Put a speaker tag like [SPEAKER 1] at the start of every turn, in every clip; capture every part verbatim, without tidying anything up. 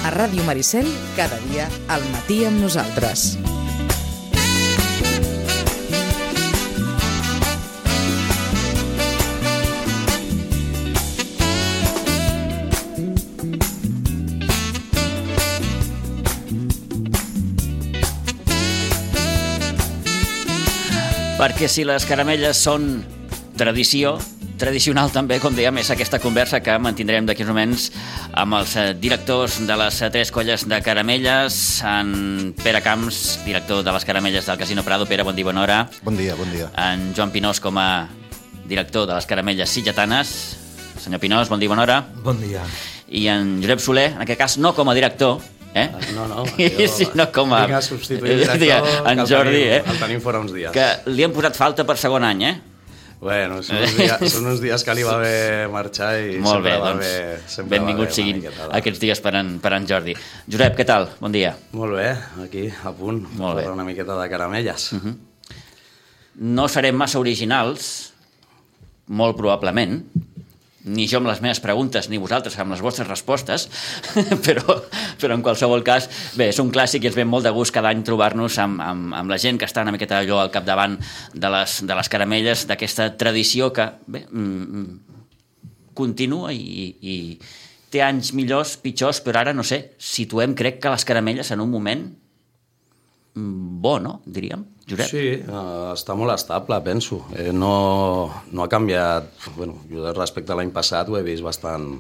[SPEAKER 1] A Ràdio Maricel, cada dia al matí amb nosaltres.
[SPEAKER 2] Perquè si les caramelles són tradició, tradicional també, com dèiem, és aquesta conversa que mantindrem d'aquí uns moments amb els directors de les tres colles de caramelles, en Pere Camps, director de les caramelles del Casino Prado. Pere, bon dia, bona hora.
[SPEAKER 3] Bon dia, bon dia.
[SPEAKER 2] En Joan Pinós com a director de les caramelles sitgetanes. Senyor Pinós, bon dia, bona hora.
[SPEAKER 4] Bon dia.
[SPEAKER 2] I en Josep Soler, en aquest cas no com a director, Eh?
[SPEAKER 5] No, no, jo
[SPEAKER 2] sí, no com a...
[SPEAKER 5] vinc a substituir el director,
[SPEAKER 2] en
[SPEAKER 5] que el
[SPEAKER 2] Jordi,
[SPEAKER 5] tenim,
[SPEAKER 2] eh?
[SPEAKER 5] el tenim fora uns dies.
[SPEAKER 2] Que li han posat falta per segon any, eh?
[SPEAKER 5] Bueno, són uns dies, són uns dies que li va bé marxar i
[SPEAKER 2] Molt bé,
[SPEAKER 5] sempre va
[SPEAKER 2] doncs,
[SPEAKER 5] bé, sempre
[SPEAKER 2] benvinguts
[SPEAKER 5] va bé
[SPEAKER 2] siguin
[SPEAKER 5] miqueta,
[SPEAKER 2] aquests dies per en, per en Jordi. Josep, què tal? Bon dia.
[SPEAKER 5] Molt bé, aquí, a punt,
[SPEAKER 2] Molt bé.
[SPEAKER 5] per una miqueta de caramelles.
[SPEAKER 2] Uh -huh. No serem massa originals, molt probablement, ni jo amb les meves preguntes, ni vosaltres amb les vostres respostes, però, però en qualsevol cas, bé, és un clàssic i ens ve molt de gust cada any trobar-nos amb, amb, amb la gent que està una miqueta allò al capdavant de les, de les caramelles, d'aquesta tradició que, bé, mm, continua i, i té anys millors, pitjors, però ara, no sé, situem, crec que les caramelles en un moment bo, no? Diríem, Josep?
[SPEAKER 5] Sí, uh, està molt estable, penso. Eh, no, no ha canviat... Bueno, jo respecte a l'any passat ho he vist bastant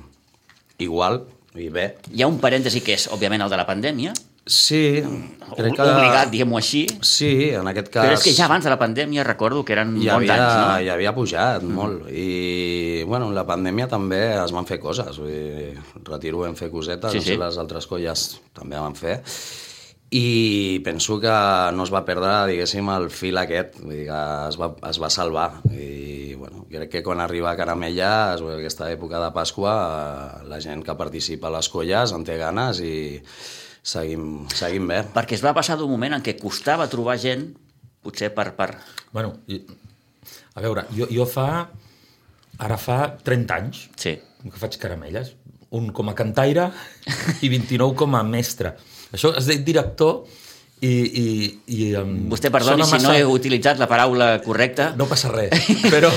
[SPEAKER 5] igual i bé.
[SPEAKER 2] Hi ha un parèntesi que és, òbviament, el de la pandèmia.
[SPEAKER 5] Sí, crec que...
[SPEAKER 2] Obligat, diguem-ho així.
[SPEAKER 5] Sí, en aquest cas...
[SPEAKER 2] Però és que ja abans de la pandèmia recordo que eren
[SPEAKER 5] ja
[SPEAKER 2] bons
[SPEAKER 5] havia,
[SPEAKER 2] anys, no?
[SPEAKER 5] Ja havia pujat mm. molt. I, bueno, en la pandèmia també es van fer coses. Vull dir, Retiro vam fer cosetes,
[SPEAKER 2] sí,
[SPEAKER 5] no sé,
[SPEAKER 2] sí.
[SPEAKER 5] les altres colles també van fer. I penso que no es va perdre, diguéssim, el fil aquest, vull dir que es va, es va salvar. I, bueno, crec que quan arriba a Caramelles, aquesta època de Pasqua, la gent que participa a les colles en té ganes i seguim, seguim bé.
[SPEAKER 2] Perquè es va passar d'un moment en què costava trobar gent, potser per... per...
[SPEAKER 4] Bueno, a veure, jo, jo fa... Ara fa trenta anys
[SPEAKER 2] sí.
[SPEAKER 4] que faig caramelles. Un com a cantaire i vint-i-nou com a mestre. Això es diu director i... i, i um,
[SPEAKER 2] Vostè perdoni si massa... no he utilitzat la paraula correcta.
[SPEAKER 4] No passa res, però,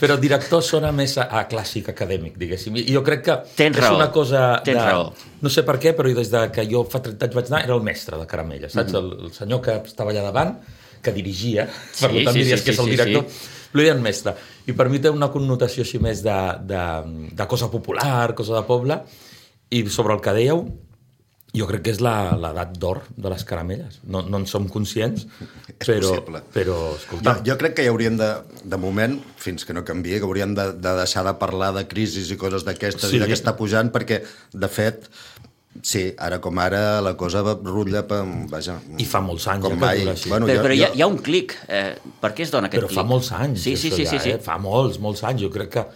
[SPEAKER 4] però director sona més a, a clàssic acadèmic, diguéssim. I jo crec que
[SPEAKER 2] Tens
[SPEAKER 4] és
[SPEAKER 2] raó.
[SPEAKER 4] una cosa...
[SPEAKER 2] Tens
[SPEAKER 4] de,
[SPEAKER 2] raó.
[SPEAKER 4] No sé per què, però des de que jo fa trenta anys vaig anar, era el mestre de caramelles, saps? Mm-hmm. el, el senyor que estava allà davant, que dirigia,
[SPEAKER 2] sí,
[SPEAKER 4] per tant
[SPEAKER 2] sí,
[SPEAKER 4] diries
[SPEAKER 2] sí,
[SPEAKER 4] que és el
[SPEAKER 2] sí,
[SPEAKER 4] director,
[SPEAKER 2] sí.
[SPEAKER 4] però eren mestre. I per mi té una connotació així més de, de, de cosa popular, cosa de poble, i sobre el que dèieu, jo crec que és l'edat d'or de les caramelles. No, no en som conscients,
[SPEAKER 3] és
[SPEAKER 4] però,
[SPEAKER 3] possible.
[SPEAKER 4] però escolta...
[SPEAKER 3] Jo, jo crec que hi hauríem de, de moment, fins que no canviï, que hauríem de, de deixar de parlar de crisis i coses d'aquestes
[SPEAKER 4] Sí.
[SPEAKER 3] i de que està pujant, perquè, de fet, sí, ara com ara la cosa va rutlla per... Vaja,
[SPEAKER 4] I fa molts anys
[SPEAKER 3] com
[SPEAKER 4] ja que
[SPEAKER 3] mai.
[SPEAKER 4] dura així.
[SPEAKER 3] Bueno,
[SPEAKER 2] Però,
[SPEAKER 3] jo,
[SPEAKER 2] però hi, ha,
[SPEAKER 3] jo...
[SPEAKER 2] hi ha un clic. Eh, per què es dona aquest
[SPEAKER 4] Però
[SPEAKER 2] clic?
[SPEAKER 4] fa molts anys.
[SPEAKER 2] Sí, sí,
[SPEAKER 4] això
[SPEAKER 2] sí,
[SPEAKER 4] ja,
[SPEAKER 2] sí, sí.
[SPEAKER 4] Eh? Fa molts, molts anys. Jo crec que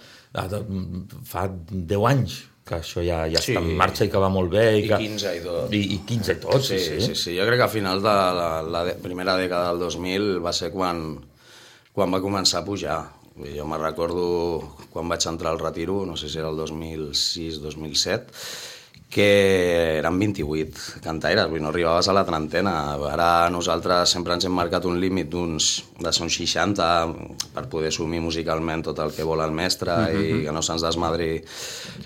[SPEAKER 4] fa deu anys que això ja, ja
[SPEAKER 5] Sí.
[SPEAKER 4] està en marxa i que va molt bé. I,
[SPEAKER 5] I
[SPEAKER 4] que...
[SPEAKER 5] quinze i tot.
[SPEAKER 4] I, i quinze i tot, sí,
[SPEAKER 5] Sí,
[SPEAKER 4] sí.
[SPEAKER 5] sí, sí. Jo crec que a finals de la, la de, primera dècada del dos mil va ser quan, quan va començar a pujar. Jo me'n recordo quan vaig entrar al Retiro, no sé si era el dos mil sis dos mil set, que eren vint-i-vuit cantaires, vull dir, no arribaves a la trentena. Ara nosaltres sempre ens hem marcat un límit d'uns de uns seixanta per poder assumir musicalment tot el que vol el mestre mm-hmm. i que no se'ns desmadri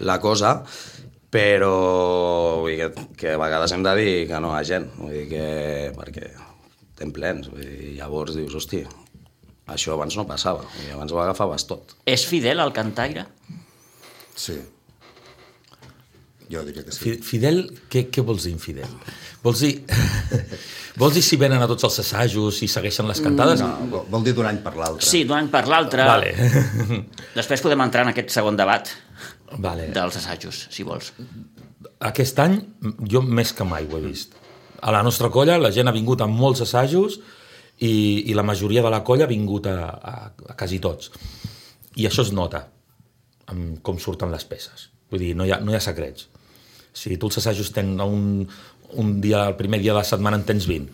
[SPEAKER 5] la cosa, però vull dir, que, que a vegades hem de dir que no hi ha gent, vull dir que, perquè estem plens, vull dir, llavors dius, hosti, això abans no passava, vull dir, abans ho agafaves tot.
[SPEAKER 2] És fidel al cantaire?
[SPEAKER 3] Sí. Jo diria que sí.
[SPEAKER 4] Fidel, què, què vols dir infidel? Vols dir, vols dir si venen a tots els assajos, si segueixen les cantades?
[SPEAKER 3] No, vol, vol dir d'un any per l'altre.
[SPEAKER 2] Sí, d'un any per l'altre.
[SPEAKER 4] Vale.
[SPEAKER 2] Després podem entrar en aquest segon debat
[SPEAKER 4] Vale.
[SPEAKER 2] dels assajos, si vols.
[SPEAKER 4] Aquest any jo més que mai ho he vist. A la nostra colla la gent ha vingut a molts assajos i, i la majoria de la colla ha vingut a, a, a quasi tots. I això es nota, amb com surten les peces. Vull dir, no hi ha, no hi ha secrets. Si tu els assajos tens un, un dia, el primer dia de la setmana en tens vint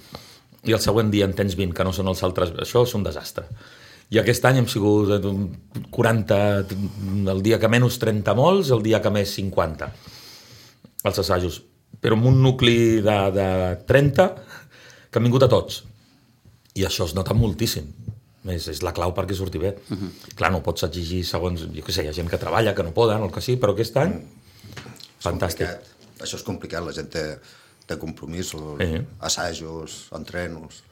[SPEAKER 4] i el següent dia en tens vint, que no són els altres, això és un desastre. I aquest any hem sigut quaranta, el dia que menys trenta molts, el dia que més cinquanta. Els assajos. però amb un nucli de, de trenta que han vingut a tots. I això es nota moltíssim. És, és la clau perquè surti bé. Uh -huh. Clar, no pots exigir segons... Jo què sé, hi ha gent que treballa, que no poden, o el que sigui, però aquest any... Mm. Fantàstic.
[SPEAKER 3] Complicat. Això és complicat, la gent té, té compromisos, sí. assajos, entrenos...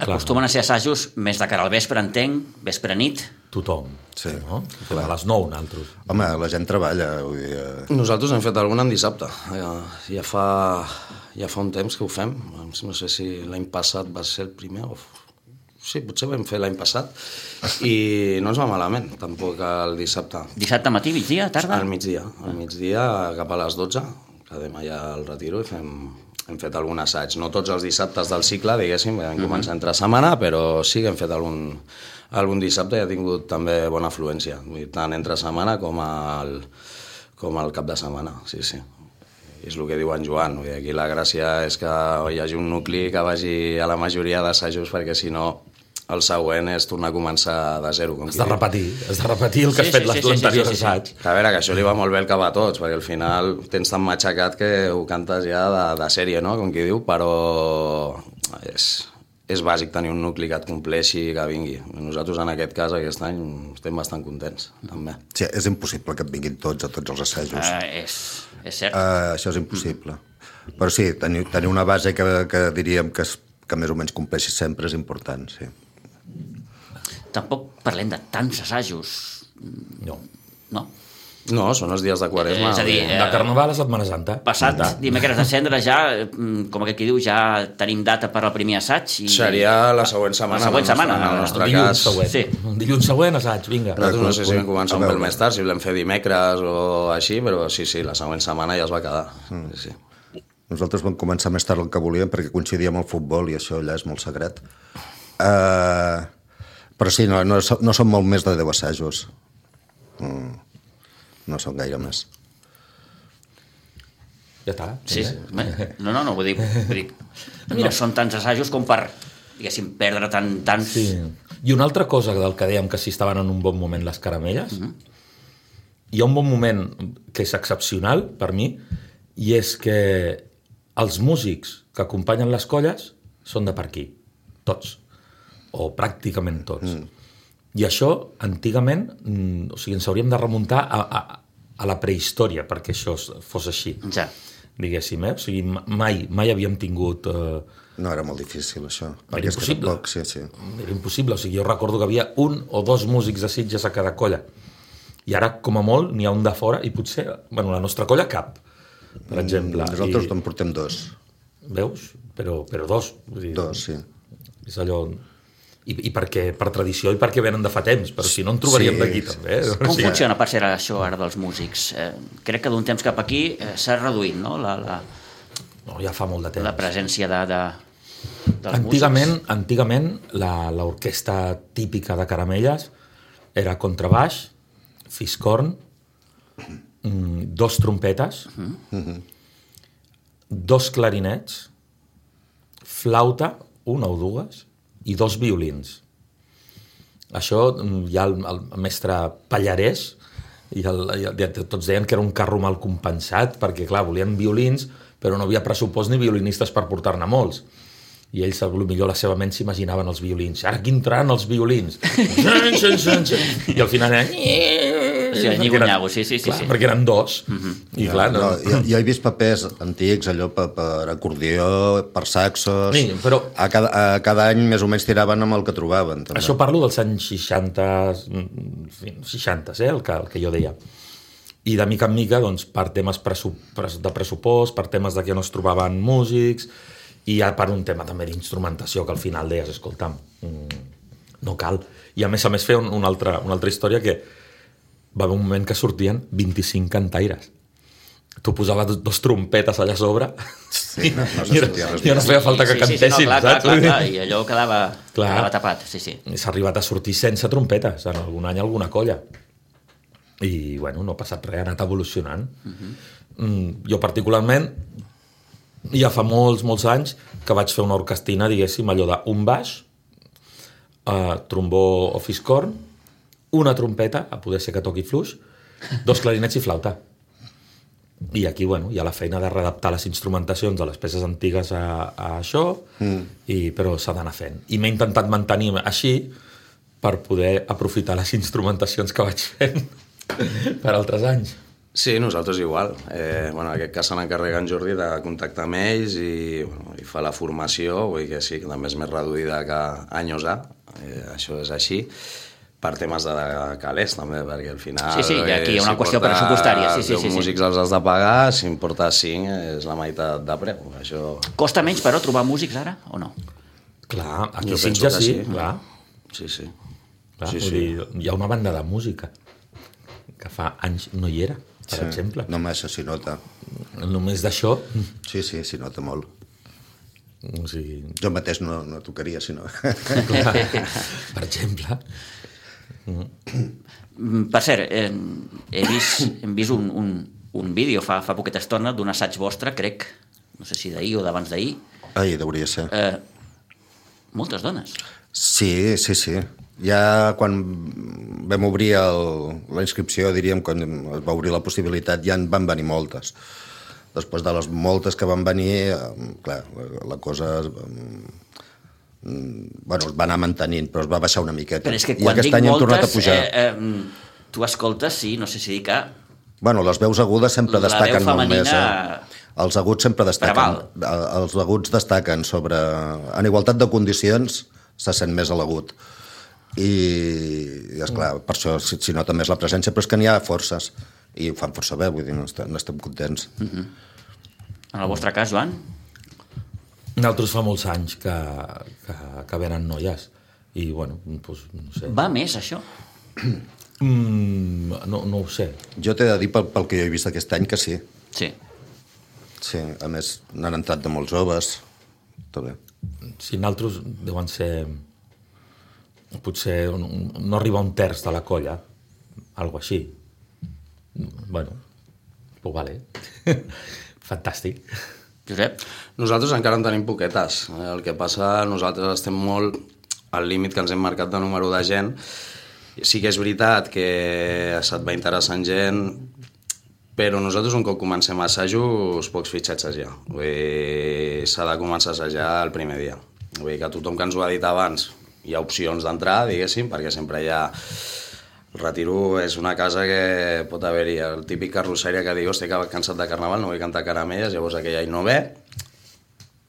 [SPEAKER 2] Acostumen a ser assajos més de cara al vespre, entenc, vespre nit.
[SPEAKER 4] Tothom.
[SPEAKER 3] Sí.
[SPEAKER 4] No? A les nou, nosaltres.
[SPEAKER 3] Home, la gent treballa. Vull dir, eh...
[SPEAKER 5] Nosaltres hem fet alguna en dissabte. Ja, ja, fa, ja fa un temps que ho fem. No sé si l'any passat va ser el primer o... Sí, potser vam fer l'any passat. I no ens va malament, tampoc el dissabte.
[SPEAKER 2] Dissabte matí, migdia, tarda?
[SPEAKER 5] Al migdia. Al migdia, cap a les dotze, que demà ja el retiro i fem... Hem fet algun assaig, no tots els dissabtes del cicle, diguéssim, vam començar entre setmana, però sí que hem fet algun, algun dissabte i ha tingut també bona afluència, tant entre setmana com al, com al cap de setmana, sí, sí. I és el que diu en Joan, vull dir, aquí la gràcia és que hi hagi un nucli que vagi a la majoria d'assajos, perquè si no el següent és tornar a començar de zero. Com
[SPEAKER 4] has de repetir, has de repetir el que sí, has fet sí, sí, l'anterior sí, sí, sí, assaig.
[SPEAKER 5] Sí. A veure, que això li va molt bé el cap a tots, perquè al final tens tan matxacat que ho cantes ja de, de sèrie, no?, com qui diu, però és, és bàsic tenir un nucli que et compleixi i que vingui. Nosaltres en aquest cas, aquest any, estem bastant contents, també.
[SPEAKER 3] Sí, és impossible que et vinguin tots a tots els assajos.
[SPEAKER 2] Uh, és, és cert.
[SPEAKER 3] Uh, això és impossible. Mm. Però sí, tenir, tenir una base que, que diríem que, es, que més o menys compleixi sempre és important, sí.
[SPEAKER 2] Tampoc parlem de tants assajos.
[SPEAKER 4] No.
[SPEAKER 2] No?
[SPEAKER 5] No, són els dies de Quaresma.
[SPEAKER 2] Eh, és a dir,
[SPEAKER 4] de Carnaval a Setmana Santa.
[SPEAKER 2] Passat de. dimecres de cendre ja, com que qui diu, ja tenim data per al primer assaig. I...
[SPEAKER 5] Seria la següent setmana.
[SPEAKER 2] La següent setmana,
[SPEAKER 5] en el nostre
[SPEAKER 4] dilluns
[SPEAKER 5] cas.
[SPEAKER 4] Següent. Sí. Dilluns següent, assaig, vinga.
[SPEAKER 5] Nosaltres no sé si vam començar un pel més tard, si volem fer dimecres o així, però sí, sí, la següent setmana ja es va quedar. Mm. Sí, sí.
[SPEAKER 3] Nosaltres vam començar més tard el que volíem perquè coincidia amb el futbol i això allà és molt secret. Uh, però sí, no, no, no són molt més de deu assajos. Mm, no són gaire més.
[SPEAKER 4] Ja està.
[SPEAKER 2] Sí, sí. No, no, no, vull dir, vull dir no són tants assajos com per, diguéssim, perdre tant, tant...
[SPEAKER 4] Sí. I una altra cosa del que dèiem que si estaven en un bon moment les caramelles, uh-huh. hi ha un bon moment que és excepcional per mi, i és que els músics que acompanyen les colles són de per aquí, tots, o pràcticament tots. Mm. I això, antigament, o sigui, ens hauríem de remuntar a, a, a la prehistòria perquè això fos així,
[SPEAKER 2] ja.
[SPEAKER 4] diguéssim, eh? O sigui, mai, mai havíem tingut... Eh...
[SPEAKER 3] No, era molt difícil, això.
[SPEAKER 4] Era impossible.
[SPEAKER 3] Tampoc, sí, sí.
[SPEAKER 4] Era impossible, o sigui, jo recordo que havia un o dos músics de Sitges a cada colla. I ara, com a molt, n'hi ha un de fora i potser, bueno, la nostra colla cap, per exemple.
[SPEAKER 3] Mm, nosaltres
[SPEAKER 4] I...
[SPEAKER 3] en portem dos.
[SPEAKER 4] Veus? Però, però dos. Vull dir,
[SPEAKER 3] dos, sí.
[SPEAKER 4] És allò... I, i perquè, per tradició i perquè venen de fa temps, però si no en trobaríem sí, d'aquí també. Eh?
[SPEAKER 2] Com
[SPEAKER 4] sí.
[SPEAKER 2] funciona per ser això ara dels músics? Eh, crec que d'un temps cap aquí eh, s'ha reduït, no? La, la,
[SPEAKER 4] no, ja fa molt de temps.
[SPEAKER 2] La presència de, de, dels
[SPEAKER 4] antigament,
[SPEAKER 2] músics.
[SPEAKER 4] Antigament, l'orquestra típica de Caramelles era contrabaix, fiscorn, dos trompetes, uh-huh. dos clarinets, flauta, una o dues, i dos violins. Això hi ha el, el mestre Pallarès i, el, i el, tots deien que era un carro mal compensat perquè, clar, volien violins però no havia pressupost ni violinistes per portar-ne molts. I ells, potser la seva ment s'imaginaven els violins. Ara aquí entraran els violins. I al final era...
[SPEAKER 2] Sí, nyigo-nyago, sí, sí, sí,
[SPEAKER 4] clar,
[SPEAKER 2] sí.
[SPEAKER 4] Perquè eren dos. Uh-huh. I
[SPEAKER 3] ja,
[SPEAKER 4] clar, no...
[SPEAKER 3] no, jo, jo he vist papers antics, allò per, per acordió, per saxos...
[SPEAKER 4] Sí, però...
[SPEAKER 3] A cada, a cada any més o menys tiraven amb el que trobaven. També.
[SPEAKER 4] Això parlo dels anys seixanta, seixanta, eh, el que, el que jo deia. I de mica en mica, doncs, per temes pressup de pressupost, per temes de que no es trobaven músics, i ja per un tema també d'instrumentació, que al final deies, escolta'm, no cal. I a més a més fer un, una, altra, una altra història que va haver un moment que sortien vint-i-cinc cantaires. Tu posaves dos trompetes allà a sobre sí, no, no i, i no feia falta que
[SPEAKER 2] sí, sí,
[SPEAKER 4] cantessin,
[SPEAKER 2] sí, no, clar,
[SPEAKER 4] saps?
[SPEAKER 2] Clar, clar, clar, i allò quedava,
[SPEAKER 4] clar,
[SPEAKER 2] quedava tapat, sí, sí.
[SPEAKER 4] S'ha arribat a sortir sense trompetes, en algun any alguna colla. I, bueno, no ha passat res, ha anat evolucionant. Uh-huh. mm, jo particularment, ja fa molts, molts anys que vaig fer una orquestina, diguéssim, allò d'un baix, uh, trombó o fiscorn, una trompeta, a poder ser que toqui fluix, dos clarinets i flauta. i aquí, bueno, hi ha la feina de readaptar les instrumentacions de les peces antigues a, a això, mm. i, però s'ha d'anar fent. I m'he intentat mantenir així per poder aprofitar les instrumentacions que vaig fent per altres anys.
[SPEAKER 5] Sí, nosaltres igual. Eh, bueno, en aquest cas se n'encarrega en Jordi de contactar amb ells i, bueno, i fa la formació, vull dir que sí, que també és més reduïda que anys A, eh, això és així, per temes de calés també, perquè al final...
[SPEAKER 2] Sí, sí, i aquí hi ha una qüestió pressupostària. Sí, sí, sí,
[SPEAKER 5] els
[SPEAKER 2] sí.
[SPEAKER 5] músics els has de pagar, si en portes cinc és la meitat de preu. Això...
[SPEAKER 2] Costa menys, però, trobar músics ara, o no?
[SPEAKER 4] Clar, aquí
[SPEAKER 5] Jo
[SPEAKER 4] sí
[SPEAKER 5] penso
[SPEAKER 4] ja
[SPEAKER 5] que
[SPEAKER 4] sí,
[SPEAKER 5] sí.
[SPEAKER 4] clar.
[SPEAKER 5] Sí, sí.
[SPEAKER 4] clar
[SPEAKER 5] Sí,
[SPEAKER 4] vull
[SPEAKER 5] sí.
[SPEAKER 4] dir, hi ha una banda de música que fa anys no hi era, per
[SPEAKER 3] Sí,
[SPEAKER 4] exemple.
[SPEAKER 3] només s'hi nota.
[SPEAKER 4] Només d'això...
[SPEAKER 3] Sí, sí, s'hi nota molt.
[SPEAKER 4] O sigui,
[SPEAKER 3] Jo mateix no, no tocaria, si no.
[SPEAKER 4] clar, per exemple...
[SPEAKER 2] Per cert, eh, he vist, hem vist un, un, un vídeo fa, fa poqueta estona d'un assaig vostre, crec, no sé si d'ahir o d'abans d'ahir.
[SPEAKER 3] Ai, hauria ser.
[SPEAKER 2] Eh, moltes dones.
[SPEAKER 3] Sí, sí, sí. Ja quan vam obrir el, la inscripció, diríem, quan es va obrir la possibilitat, ja en van venir moltes. Després de les moltes que van venir, eh, clar, la, la cosa... Eh, bueno, es va anar mantenint, però es va baixar una miqueta.
[SPEAKER 2] Però és que
[SPEAKER 3] I
[SPEAKER 2] quan
[SPEAKER 3] aquest
[SPEAKER 2] dic
[SPEAKER 3] any hem
[SPEAKER 2] moltes,
[SPEAKER 3] tornat a pujar.
[SPEAKER 2] eh, eh, tu escoltes, sí, no sé si dir que...
[SPEAKER 3] Bueno, les veus agudes sempre
[SPEAKER 2] La
[SPEAKER 3] destaquen
[SPEAKER 2] veu
[SPEAKER 3] molt més.
[SPEAKER 2] femenina
[SPEAKER 3] Eh? Els aguts sempre destaquen.
[SPEAKER 2] preval.
[SPEAKER 3] Els aguts destaquen sobre... En igualtat de condicions se sent més l'agut. I, i esclar, per això s'hi s'hi nota més la presència, però és que n'hi ha forces. I ho fan força bé, vull dir, no estem, no estem contents.
[SPEAKER 2] En el vostre cas, Joan?
[SPEAKER 4] Nosaltres fa molts anys que, que, que venen noies i, bueno, doncs, no sé.
[SPEAKER 2] Va més, això?
[SPEAKER 4] Mm, no, no ho sé.
[SPEAKER 3] Jo t'he de dir, pel, pel que jo he vist aquest any, que sí.
[SPEAKER 2] Sí.
[SPEAKER 3] Sí, a més, n'han entrat de molts joves. Tot bé.
[SPEAKER 4] Si nosaltres deuen ser... Potser no arriba a un terç de la colla, algo així. Bueno, pues vale. Fantàstic.
[SPEAKER 2] Josep?
[SPEAKER 5] Nosaltres encara en tenim poquetes. El que passa, nosaltres estem molt al límit que ens hem marcat de número de gent. Sí que és veritat que se't va interessant gent, però nosaltres un cop comencem a assajos, pocs fitxatges ja. Vull dir, s'ha de començar a assajar el primer dia. Vull dir que tothom que ens ho ha dit abans hi ha opcions d'entrar, diguéssim, perquè sempre hi ha... El Retiro és una casa que pot haver-hi el típic carrosseria que diu, hòstia, que cansat de carnaval, no vull cantar caramelles, llavors aquell any no ve,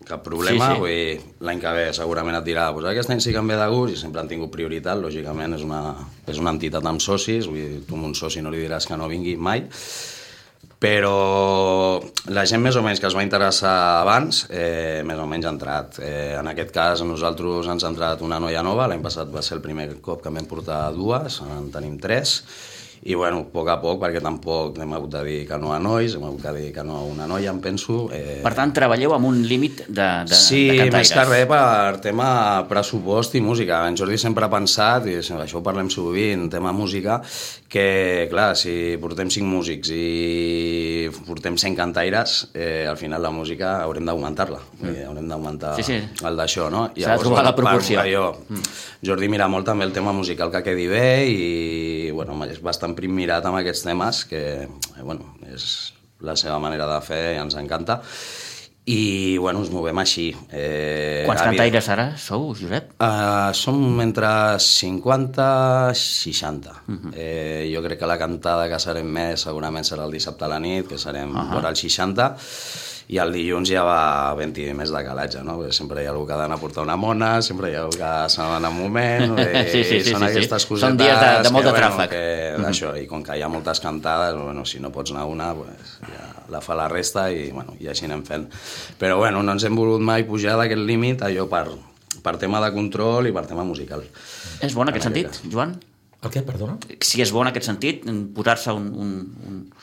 [SPEAKER 5] cap problema,
[SPEAKER 2] Sí, sí.
[SPEAKER 5] vull dir, l'any que ve segurament et dirà, pues aquest any sí que em ve de gust i sempre han tingut prioritat, lògicament és una, és una entitat amb socis, vull dir, tu amb un soci no li diràs que no vingui mai, però la gent més o menys que es va interessar abans, eh, més o menys ha entrat. Eh, en aquest cas, a nosaltres ens ha entrat una noia nova, l'any passat va ser el primer cop que vam portar dues, en tenim tres, i bueno, a poc a poc, perquè tampoc hem hagut de dir que no a nois, hem hagut de dir que no a una noia, em penso. Eh...
[SPEAKER 2] Per tant, treballeu amb un límit de, de,
[SPEAKER 5] sí,
[SPEAKER 2] de cantaires.
[SPEAKER 5] més que res per tema pressupost i música. En Jordi sempre ha pensat, i això ho parlem sovint, tema música, que, clar, si portem cinc músics i portem cent cantaires, eh, al final la música haurem d'augmentar-la. Mm. Haurem d'augmentar
[SPEAKER 2] sí, sí.
[SPEAKER 5] el d'això, no?
[SPEAKER 2] S'ha de trobar la proporció.
[SPEAKER 5] Allò, mm. Jordi mira molt també el tema musical que quedi bé i, bueno, és bastant prim mirat amb aquests temes, que, eh, bueno, és la seva manera de fer i ens encanta. I, bueno, ens movem així. Eh,
[SPEAKER 2] Quants cantaires ara sou, Josep?
[SPEAKER 5] Uh, som entre cinquanta i seixanta. Uh -huh. eh, jo crec que la cantada que serem més segurament serà el dissabte a la nit, que serem uh -huh. vora els seixanta, i el dilluns ja va vint més de calatge, no? Perquè sempre hi ha algú que ha d'anar a portar una mona, sempre hi ha algú que se n'ha d'anar un moment, eh,
[SPEAKER 2] sí, sí, sí,
[SPEAKER 5] són
[SPEAKER 2] sí,
[SPEAKER 5] aquestes
[SPEAKER 2] sí.
[SPEAKER 5] cosetes...
[SPEAKER 2] Són dies de, de molt
[SPEAKER 5] que,
[SPEAKER 2] de tràfic.
[SPEAKER 5] Bueno, que, uh -huh. això, i com que hi ha moltes cantades, bueno, si no pots anar una, pues, ja la fa la resta i, bueno, i així anem fent. Però bueno, no ens hem volut mai pujar d'aquest límit, allò per, per tema de control i per tema musical.
[SPEAKER 2] És bo en aquest sentit, Joan?
[SPEAKER 4] El què, perdona?
[SPEAKER 2] Si és bo en aquest sentit, posar-se un, un,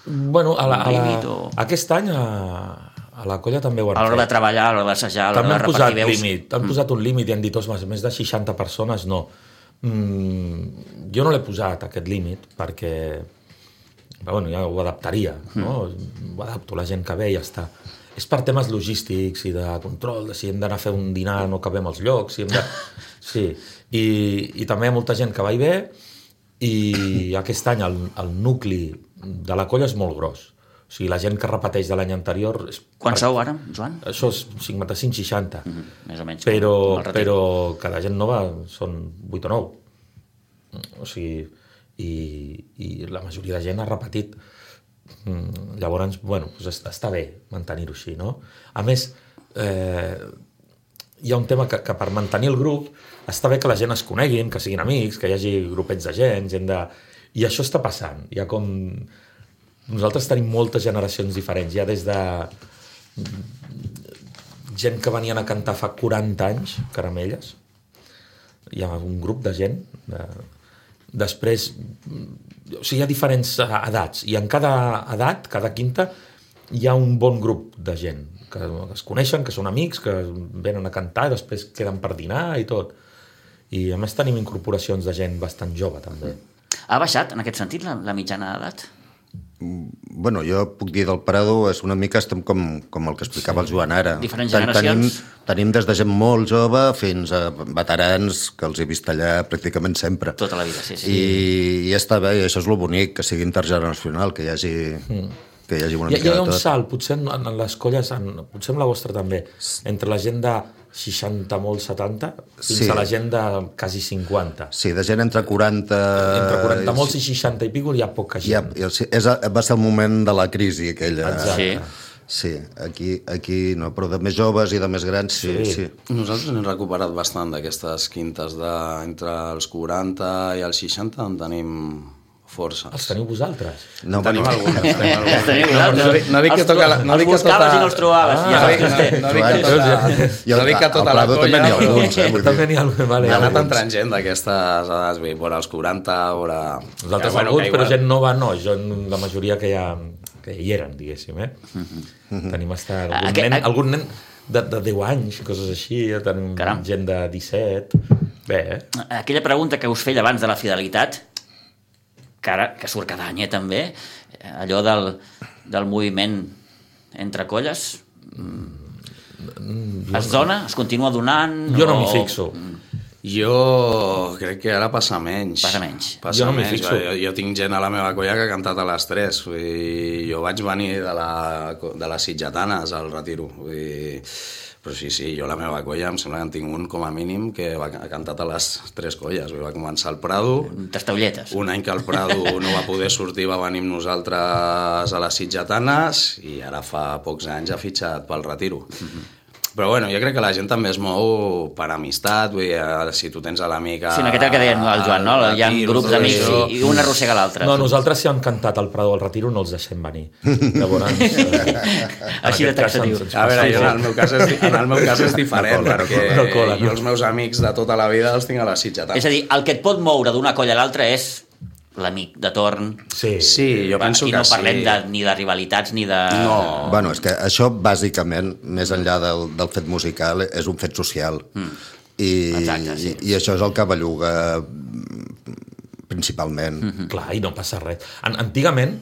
[SPEAKER 2] un,
[SPEAKER 4] Bueno, a la,
[SPEAKER 2] un
[SPEAKER 4] a la,
[SPEAKER 2] límit o...
[SPEAKER 4] aquest any a, a la colla també ho han
[SPEAKER 2] A l'hora de
[SPEAKER 4] fet.
[SPEAKER 2] treballar, a l'hora d'assajar, a l'hora
[SPEAKER 4] També
[SPEAKER 2] de
[SPEAKER 4] han
[SPEAKER 2] repartir
[SPEAKER 4] posat
[SPEAKER 2] veus...
[SPEAKER 4] límit, han posat un límit i han dit, ostres, més de seixanta persones, no. Mm, jo no l'he posat, aquest límit, perquè però, bueno, ja ho adaptaria, no? Ho adapto la gent que ve i ja està. És per temes logístics i de control, de si hem d'anar a fer un dinar no cabem als llocs, si hem de... Sí, i, i també hi ha molta gent que va i ve i aquest any el, el nucli de la colla és molt gros. O sigui, la gent que repeteix de l'any anterior... És...
[SPEAKER 2] Quan sou ara, Joan?
[SPEAKER 4] Això és cinquanta-cinc seixanta.
[SPEAKER 2] Mm -hmm, més o menys.
[SPEAKER 4] Però, però que la gent nova són vuit o nou. O sigui, i, i la majoria de gent ha repetit. Llavors, bueno, doncs està bé mantenir-ho així, no? A més, eh, hi ha un tema que, que per mantenir el grup està bé que la gent es coneguin, que siguin amics, que hi hagi grupets de gent, gent de... I això està passant. Hi ha com... Nosaltres tenim moltes generacions diferents, ja des de gent que venien a cantar fa quaranta anys, Caramelles, hi ha un grup de gent, de... després, o sigui, hi ha diferents edats, i en cada edat, cada quinta, hi ha un bon grup de gent, que es coneixen, que són amics, que venen a cantar i després queden per dinar i tot. I a més tenim incorporacions de gent bastant jove, també.
[SPEAKER 2] Ha baixat, en aquest sentit, la, la mitjana d'edat?
[SPEAKER 3] Bueno, jo puc dir del Prado, és una mica estem com, com el que explicava sí. el Joan ara.
[SPEAKER 2] Diferents generacions.
[SPEAKER 3] Tenim, tenim des de gent molt jove fins a veterans que els he vist allà pràcticament sempre.
[SPEAKER 2] Tota la vida, sí, sí.
[SPEAKER 3] I, i està bé, i això és el bonic, que sigui intergeneracional, que hi hagi... Mm. que hi hagi una
[SPEAKER 4] hi,
[SPEAKER 3] mica
[SPEAKER 4] hi ha
[SPEAKER 3] de
[SPEAKER 4] un
[SPEAKER 3] tot.
[SPEAKER 4] salt, potser en, en les colles, en, potser en la vostra també, entre la gent de seixanta, molt setanta, fins
[SPEAKER 3] sí.
[SPEAKER 4] a la gent de quasi cinquanta.
[SPEAKER 3] Sí, de gent entre quaranta...
[SPEAKER 4] Entre quaranta molts i seixanta i pico hi ha poca gent.
[SPEAKER 3] Ja, és, va ser el moment de la crisi aquella.
[SPEAKER 2] Exacte.
[SPEAKER 3] Sí, aquí, aquí no, però de més joves i de més grans, sí. sí. sí.
[SPEAKER 5] Nosaltres hem recuperat bastant d'aquestes quintes de, entre els quaranta i els seixanta, en tenim força.
[SPEAKER 4] Els teniu vosaltres?
[SPEAKER 3] No,
[SPEAKER 5] tenim
[SPEAKER 3] bueno.
[SPEAKER 5] algunes. Tenim algunes.
[SPEAKER 2] Els teniu
[SPEAKER 5] no,
[SPEAKER 2] vosaltres.
[SPEAKER 5] no, no dic que toca la, no
[SPEAKER 2] els
[SPEAKER 5] dic que
[SPEAKER 2] buscaves
[SPEAKER 5] tota...
[SPEAKER 2] i no els trobaves.
[SPEAKER 5] Ah,
[SPEAKER 2] ja
[SPEAKER 5] no, dic, no, no, dic que tota, no dic que tota la colla...
[SPEAKER 3] També n'hi ha alguns, eh? Vull
[SPEAKER 4] També
[SPEAKER 3] dir.
[SPEAKER 4] n'hi ha alguns, vale.
[SPEAKER 5] Ha anat entrant gent d'aquestes edats, vull dir, vora els quaranta, vora...
[SPEAKER 4] Nosaltres
[SPEAKER 5] bueno,
[SPEAKER 4] alguns, però
[SPEAKER 5] igual...
[SPEAKER 4] gent nova no, jo, la majoria que, ja, que hi eren, diguéssim, eh? Mm-hmm. Tenim hasta algun,
[SPEAKER 2] Aqu-
[SPEAKER 4] nen, algun nen de, de deu anys, coses així, tenim
[SPEAKER 2] Caram.
[SPEAKER 4] gent de disset... Bé, eh?
[SPEAKER 2] Aquella pregunta que us feia abans de la fidelitat, que ara, que surt cada any, eh, també, allò del, del moviment entre colles, mm, es dona? Es continua donant?
[SPEAKER 4] Jo no
[SPEAKER 2] o...
[SPEAKER 4] m'hi fixo.
[SPEAKER 5] Jo crec que ara passa menys.
[SPEAKER 2] Passa menys.
[SPEAKER 5] Passa
[SPEAKER 4] Jo no m'hi
[SPEAKER 5] menys.
[SPEAKER 4] fixo.
[SPEAKER 5] Jo, jo tinc gent a la meva colla que ha cantat a les tres. Vull dir, jo vaig venir de, la, de les Sitgetanes al Retiro. Vull dir, però sí, sí, jo a la meva colla em sembla que en tinc un com a mínim que va, ha cantat a les tres colles. Vull dir, va començar al Prado.
[SPEAKER 2] Tastaulletes.
[SPEAKER 5] Un any que el Prado no va poder sortir, va venir amb nosaltres a les Sitgetanes i ara fa pocs anys ha fitxat pel Retiro. Mm-hmm. Però bueno, jo crec que la gent també es mou per amistat, vull dir, si tu tens a l'amic...
[SPEAKER 2] Sí, en aquest que deia el Joan, no? Hi ha grups d'amics i, i un arrossega l'altre.
[SPEAKER 4] No, nosaltres si han cantat al Prado al Retiro no els deixem venir. Llavors, eh,
[SPEAKER 2] Així de taxatiu.
[SPEAKER 5] A veure, jo en el meu cas és, en el meu cas és diferent,
[SPEAKER 4] No cola,
[SPEAKER 5] perquè
[SPEAKER 4] no cola, no.
[SPEAKER 5] jo els meus amics de tota la vida els tinc a les Sitgetanes.
[SPEAKER 2] És a dir, el que et pot moure d'una colla a l'altra és l'amic de torn.
[SPEAKER 4] sí.
[SPEAKER 5] Sí, jo penso
[SPEAKER 2] Aquí
[SPEAKER 5] que
[SPEAKER 2] no parlem
[SPEAKER 5] sí.
[SPEAKER 2] de, ni de rivalitats ni de...
[SPEAKER 5] No.
[SPEAKER 3] Bueno, és que això, bàsicament, més enllà del, del fet musical, és un fet social. Mm. I,
[SPEAKER 2] Exacte, sí.
[SPEAKER 3] i, I això és el que belluga principalment.
[SPEAKER 4] Mm-hmm. Clar, i no passa res. An antigament,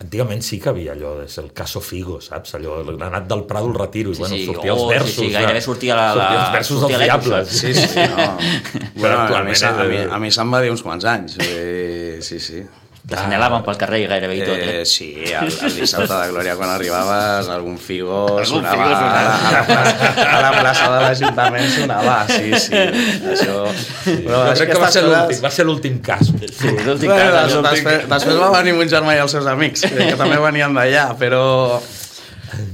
[SPEAKER 4] antigament sí que havia allò, és el caso Figo, saps? Allò, l'anat del Prado al Retiro,
[SPEAKER 2] Sí,
[SPEAKER 4] i bueno,
[SPEAKER 2] sí.
[SPEAKER 4] sortia
[SPEAKER 2] Oh,
[SPEAKER 4] els
[SPEAKER 2] sí,
[SPEAKER 4] versos.
[SPEAKER 2] sí, gairebé sortia la- la-
[SPEAKER 4] sortia els versos
[SPEAKER 2] sortia
[SPEAKER 4] dels
[SPEAKER 2] l'èpic,
[SPEAKER 4] diables.
[SPEAKER 5] Sí, sí, no. Bueno, a mi,
[SPEAKER 4] actualment
[SPEAKER 5] se- a mi,
[SPEAKER 4] és-
[SPEAKER 5] a mi se'm va dir uns quants anys. Eh, sí, sí.
[SPEAKER 2] T'assenyalaven pel carrer gairebé i tot, eh?
[SPEAKER 5] Eh, sí, el, el dissabte de Glòria quan arribaves algun Figo
[SPEAKER 2] Algun
[SPEAKER 5] sonava,
[SPEAKER 2] Figo sonava.
[SPEAKER 5] A, la, a, la plaça, a la plaça de l'Ajuntament sonava, sí, sí, això... Però
[SPEAKER 4] Jo crec que va ser
[SPEAKER 5] coses-
[SPEAKER 4] l'últim, va ser l'últim cas.
[SPEAKER 2] Sí, l'últim
[SPEAKER 5] Bueno,
[SPEAKER 2] cas,
[SPEAKER 5] des,
[SPEAKER 2] l'últim-
[SPEAKER 5] després, després va venir mon germà i els seus amics, que també venien d'allà, però...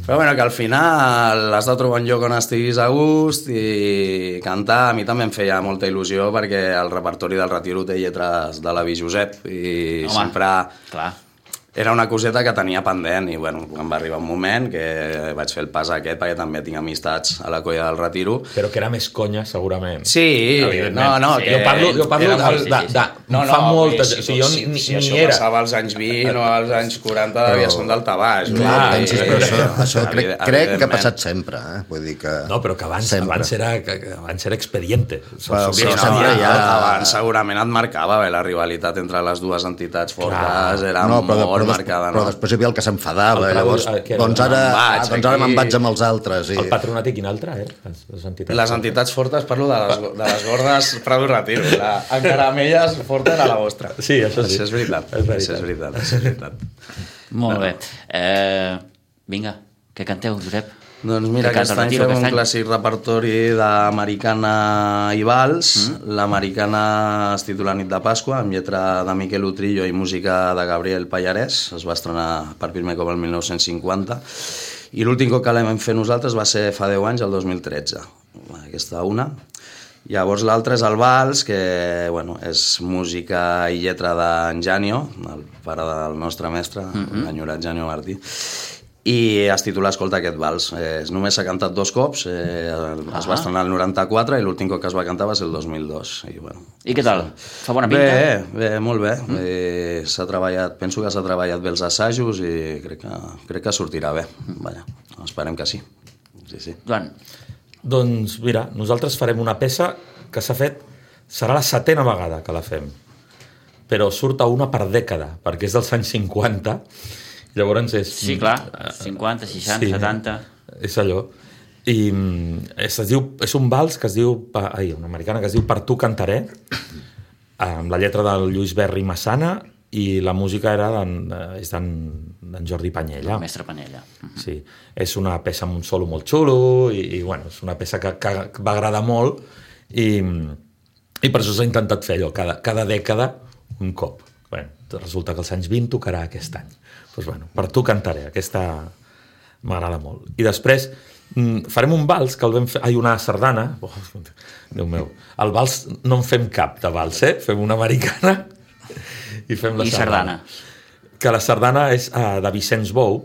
[SPEAKER 5] Però bueno, que al final has de trobar un lloc on estiguis a gust i cantar. A mi també em feia molta il·lusió perquè el repertori del Retiro té lletres de l'avi Josep i
[SPEAKER 2] Home,
[SPEAKER 5] sempre...
[SPEAKER 2] clar.
[SPEAKER 5] Era una coseta que tenia pendent i bueno, em va arribar un moment que vaig fer el pas aquest perquè també tinc amistats a la colla del Retiro.
[SPEAKER 4] Però que era més conya, segurament.
[SPEAKER 5] Sí,
[SPEAKER 4] Evidentment.
[SPEAKER 5] no, no,
[SPEAKER 4] Sí,
[SPEAKER 5] que...
[SPEAKER 4] jo parlo, jo parlo
[SPEAKER 5] era
[SPEAKER 4] de,
[SPEAKER 5] molt-
[SPEAKER 4] de, de,
[SPEAKER 5] No, no,
[SPEAKER 4] fa
[SPEAKER 5] vull dir,
[SPEAKER 4] molta...
[SPEAKER 5] si,
[SPEAKER 4] o sigui, jo
[SPEAKER 5] si,
[SPEAKER 4] ni,
[SPEAKER 5] si
[SPEAKER 4] ni
[SPEAKER 5] això
[SPEAKER 4] era.
[SPEAKER 5] passava als anys vint o als anys quaranta
[SPEAKER 3] Però-
[SPEAKER 5] devia ser un daltabaix.
[SPEAKER 3] Clar,
[SPEAKER 5] vull dir,
[SPEAKER 3] pensis, però això, això crec,
[SPEAKER 5] evident-
[SPEAKER 3] crec que ha
[SPEAKER 5] evidentment.
[SPEAKER 3] passat sempre, eh? Vull dir que...
[SPEAKER 4] No, però que abans,
[SPEAKER 3] sempre.
[SPEAKER 4] abans, era, que, que abans era expediente.
[SPEAKER 3] Però-
[SPEAKER 5] Sí,
[SPEAKER 3] però
[SPEAKER 5] no,
[SPEAKER 3] sempre hi ha-
[SPEAKER 5] abans segurament et marcava bé la rivalitat entre les dues entitats fortes,
[SPEAKER 4] Clar.
[SPEAKER 5] era
[SPEAKER 3] no, però,
[SPEAKER 5] molt
[SPEAKER 3] però,
[SPEAKER 5] marcada.
[SPEAKER 3] però
[SPEAKER 5] No?
[SPEAKER 3] després hi havia el que s'enfadava,
[SPEAKER 4] El Prado,
[SPEAKER 3] llavors,
[SPEAKER 4] eh, que era-
[SPEAKER 3] doncs ara,
[SPEAKER 5] Me'n vaig,
[SPEAKER 3] doncs ara
[SPEAKER 5] aquí.
[SPEAKER 3] me'n vaig amb els altres. I...
[SPEAKER 4] El patronat i quin altre, eh? Les, les entitats.
[SPEAKER 5] Les entitats fortes, parlo de les, de les gordes Prado Retiro. La, encara amb elles, forta era la vostra.
[SPEAKER 4] Sí, això sí.
[SPEAKER 5] Això és veritat.
[SPEAKER 4] És veritat.
[SPEAKER 5] Això és veritat. Això és veritat.
[SPEAKER 2] Molt bé. Eh, vinga, què canteu, Josep?
[SPEAKER 5] Doncs mira,
[SPEAKER 2] Que
[SPEAKER 5] aquest
[SPEAKER 2] canta el
[SPEAKER 5] any
[SPEAKER 2] Retiro,
[SPEAKER 5] fem
[SPEAKER 2] aquest
[SPEAKER 5] un
[SPEAKER 2] any?
[SPEAKER 5] clàssic repertori d'americana i vals. Mm. L'americana es titula Nit de Pasqua, amb lletra de Miquel Utrillo i música de Gabriel Pallarès. Es va estrenar per primer cop el mil nou-cents cinquanta. I l'últim cop que l'hem fet nosaltres va ser fa deu anys, el dos mil tretze. Aquesta una. Llavors l'altre és el vals, que bueno, és música i lletra d'en Janio, el pare del nostre mestre, mm-hmm. l'enyorat Janio Martí. I es titula Escolta aquest vals. Eh, només s'ha cantat dos cops, eh, es va estrenar el noranta-quatre i l'últim cop que es va cantar va ser el dos mil dos. I, bueno,
[SPEAKER 2] I què tal? Fa bona pinta?
[SPEAKER 5] Bé, bé, molt bé. Mm. Eh, s'ha treballat, penso que s'ha treballat bé els assajos i crec que, crec que sortirà bé. Vaja, esperem que sí. Sí, sí.
[SPEAKER 2] Joan.
[SPEAKER 4] Doncs mira, nosaltres farem una peça que s'ha fet, serà la setena vegada que la fem, però surt a una per dècada, perquè és dels anys cinquanta. Llavors és...
[SPEAKER 2] Sí, clar, cinquanta, seixanta,
[SPEAKER 4] sí,
[SPEAKER 2] setanta...
[SPEAKER 4] És allò. I es, es diu, és un vals que es diu... Ai, una americana que es diu Per tu cantaré, amb la lletra del Lluís Berri Massana, i la música era d'en, és d'en Jordi Panyella.
[SPEAKER 2] El mestre Panyella.
[SPEAKER 4] Sí, és una peça amb un solo molt xulo, i, i bueno, és una peça que, que va agradar molt, i, i per això s'ha intentat fer allò, cada, cada dècada un cop. Bueno, resulta que els anys vint tocarà aquest any. Doncs bueno, Per tu cantaré, aquesta m'agrada molt. I després farem un vals que el vam fer... Ai, una sardana. Oh, Déu meu. El vals no en fem cap de vals, eh? Fem una americana i fem la
[SPEAKER 2] I
[SPEAKER 4] sardana.
[SPEAKER 2] sardana.
[SPEAKER 4] Que la sardana és uh, de Vicenç Bou,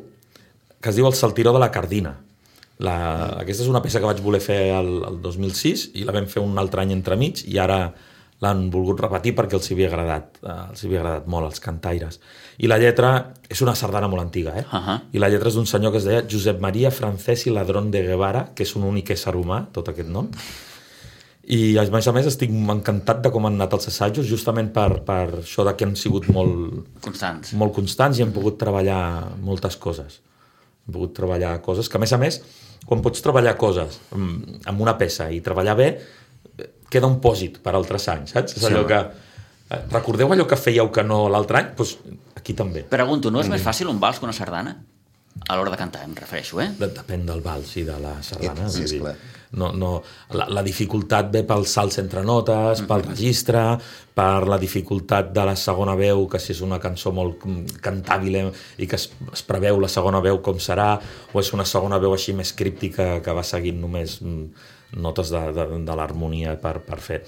[SPEAKER 4] que es diu El saltiró de la Cardina. La... Aquesta és una peça que vaig voler fer el, el dos mil sis i la vam fer un altre any entremig i ara l'han volgut repetir perquè els havia agradat, eh, els havia agradat molt, els cantaires. I la lletra és una sardana molt antiga, eh?
[SPEAKER 2] Uh-huh.
[SPEAKER 4] I la lletra és d'un senyor que es deia Josep Maria Francesc i Ladrón de Guevara, que és un únic ésser humà, tot aquest nom. I a més a més estic encantat de com han anat els assajos, justament per, per això de que han sigut molt
[SPEAKER 2] constants.
[SPEAKER 4] molt constants i hem pogut treballar moltes coses. Hem pogut treballar coses que, a més a més, quan pots treballar coses amb una peça i treballar bé, queda un pòsit per altres anys, saps? És allò que... Recordeu allò que fèieu que no l'altre any? Doncs aquí també.
[SPEAKER 2] Pregunto, no és més fàcil un vals que una sardana? A l'hora de cantar, em refereixo, eh?
[SPEAKER 4] Depèn del vals i de la sardana.
[SPEAKER 3] Sí, esclar.
[SPEAKER 4] No, no, la, la dificultat ve pels salts entre notes, pel registre, per la dificultat de la segona veu, que si és una cançó molt cantàbil i que es, es preveu la segona veu com serà, o és una segona veu així més críptica que va seguint només notes de, de, de l'harmonia per, per fer...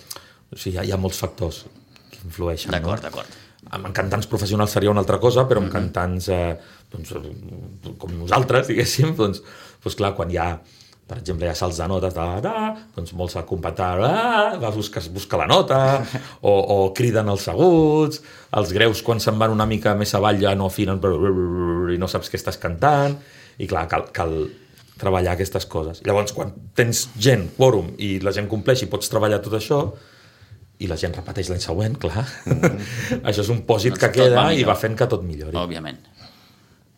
[SPEAKER 4] O sigui, hi ha, hi ha molts factors que influeixen.
[SPEAKER 2] D'acord,
[SPEAKER 4] no?
[SPEAKER 2] d'acord.
[SPEAKER 4] Amb cantants professionals seria una altra cosa, però amb mm-hmm. cantants eh, doncs, com nosaltres, diguéssim, doncs, doncs clar, quan hi ha, per exemple, hi ha salts de notes, da, da, doncs molts acompanyen, ah, va buscar, buscar la nota, o, o criden els aguts, els greus quan se'n van una mica més avall ja no afinen i no saps què estàs cantant, i clar, cal, cal treballar aquestes coses. Llavors, quan tens gent, quòrum, i la gent compleix i pots treballar tot això, i la gent repeteix l'any següent, clar. Mm. Això és un pòsit doncs que queda i va fent que tot millori.
[SPEAKER 2] Òbviament.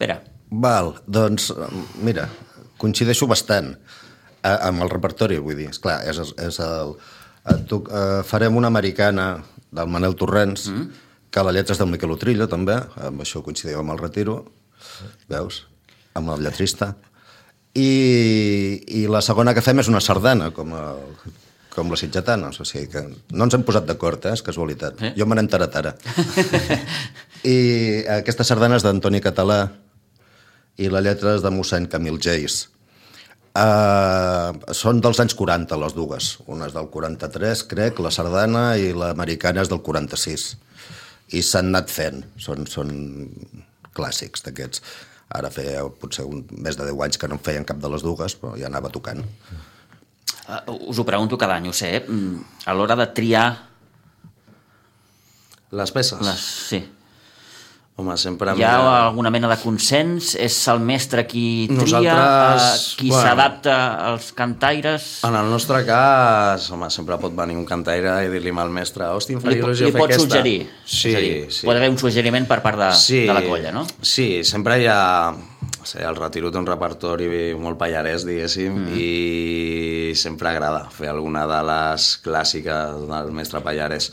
[SPEAKER 2] Pere.
[SPEAKER 3] Val, doncs, mira, coincideixo bastant amb el repertori, vull dir, esclar, és, és el... Tu, uh, farem una americana del Manel Torrents, mm. que la lletra és del Miquel Utrillo, també, amb això coincidiu amb el Retiro, veus? Amb el lletrista. I, i la segona que fem és una sardana, com, el, com la sitgetana. O sigui que no ens hem posat d'acord, eh? És casualitat. Eh? Jo me n'he enterat ara. I aquesta sardana és d'Antoni Català i la lletra és de mossèn Camil Geis. Uh, són dels anys quaranta, les dues. Una és del quaranta-tres, crec, la sardana, i l'americana és del quaranta-sis. I s'han anat fent. Són, són clàssics d'aquests. Ara feia potser un, més de deu anys que no en feien cap de les dues, però ja anava tocant.
[SPEAKER 2] Uh, us ho pregunto cada any, ho sé, a l'hora de triar...
[SPEAKER 5] Les peces?
[SPEAKER 2] Les, sí.
[SPEAKER 5] Home, sempre...
[SPEAKER 2] Hi ha alguna mena de consens? És el mestre qui tria?
[SPEAKER 5] Nosaltres...
[SPEAKER 2] Uh, qui bueno, s'adapta als cantaires?
[SPEAKER 5] En el nostre cas, home, sempre pot venir un cantaire i dir-li al mestre, hosti, em faria il·lusió fer aquesta.
[SPEAKER 2] Li pot suggerir?
[SPEAKER 5] Sí,
[SPEAKER 2] dir,
[SPEAKER 5] sí.
[SPEAKER 2] Pot haver un suggeriment per part de,
[SPEAKER 5] sí,
[SPEAKER 2] de la colla, no?
[SPEAKER 5] Sí, sempre hi ha... O sigui, el Retiro té un repertori molt pallarès, diguéssim, mm. i sempre agrada fer alguna de les clàssiques del mestre Pallarès.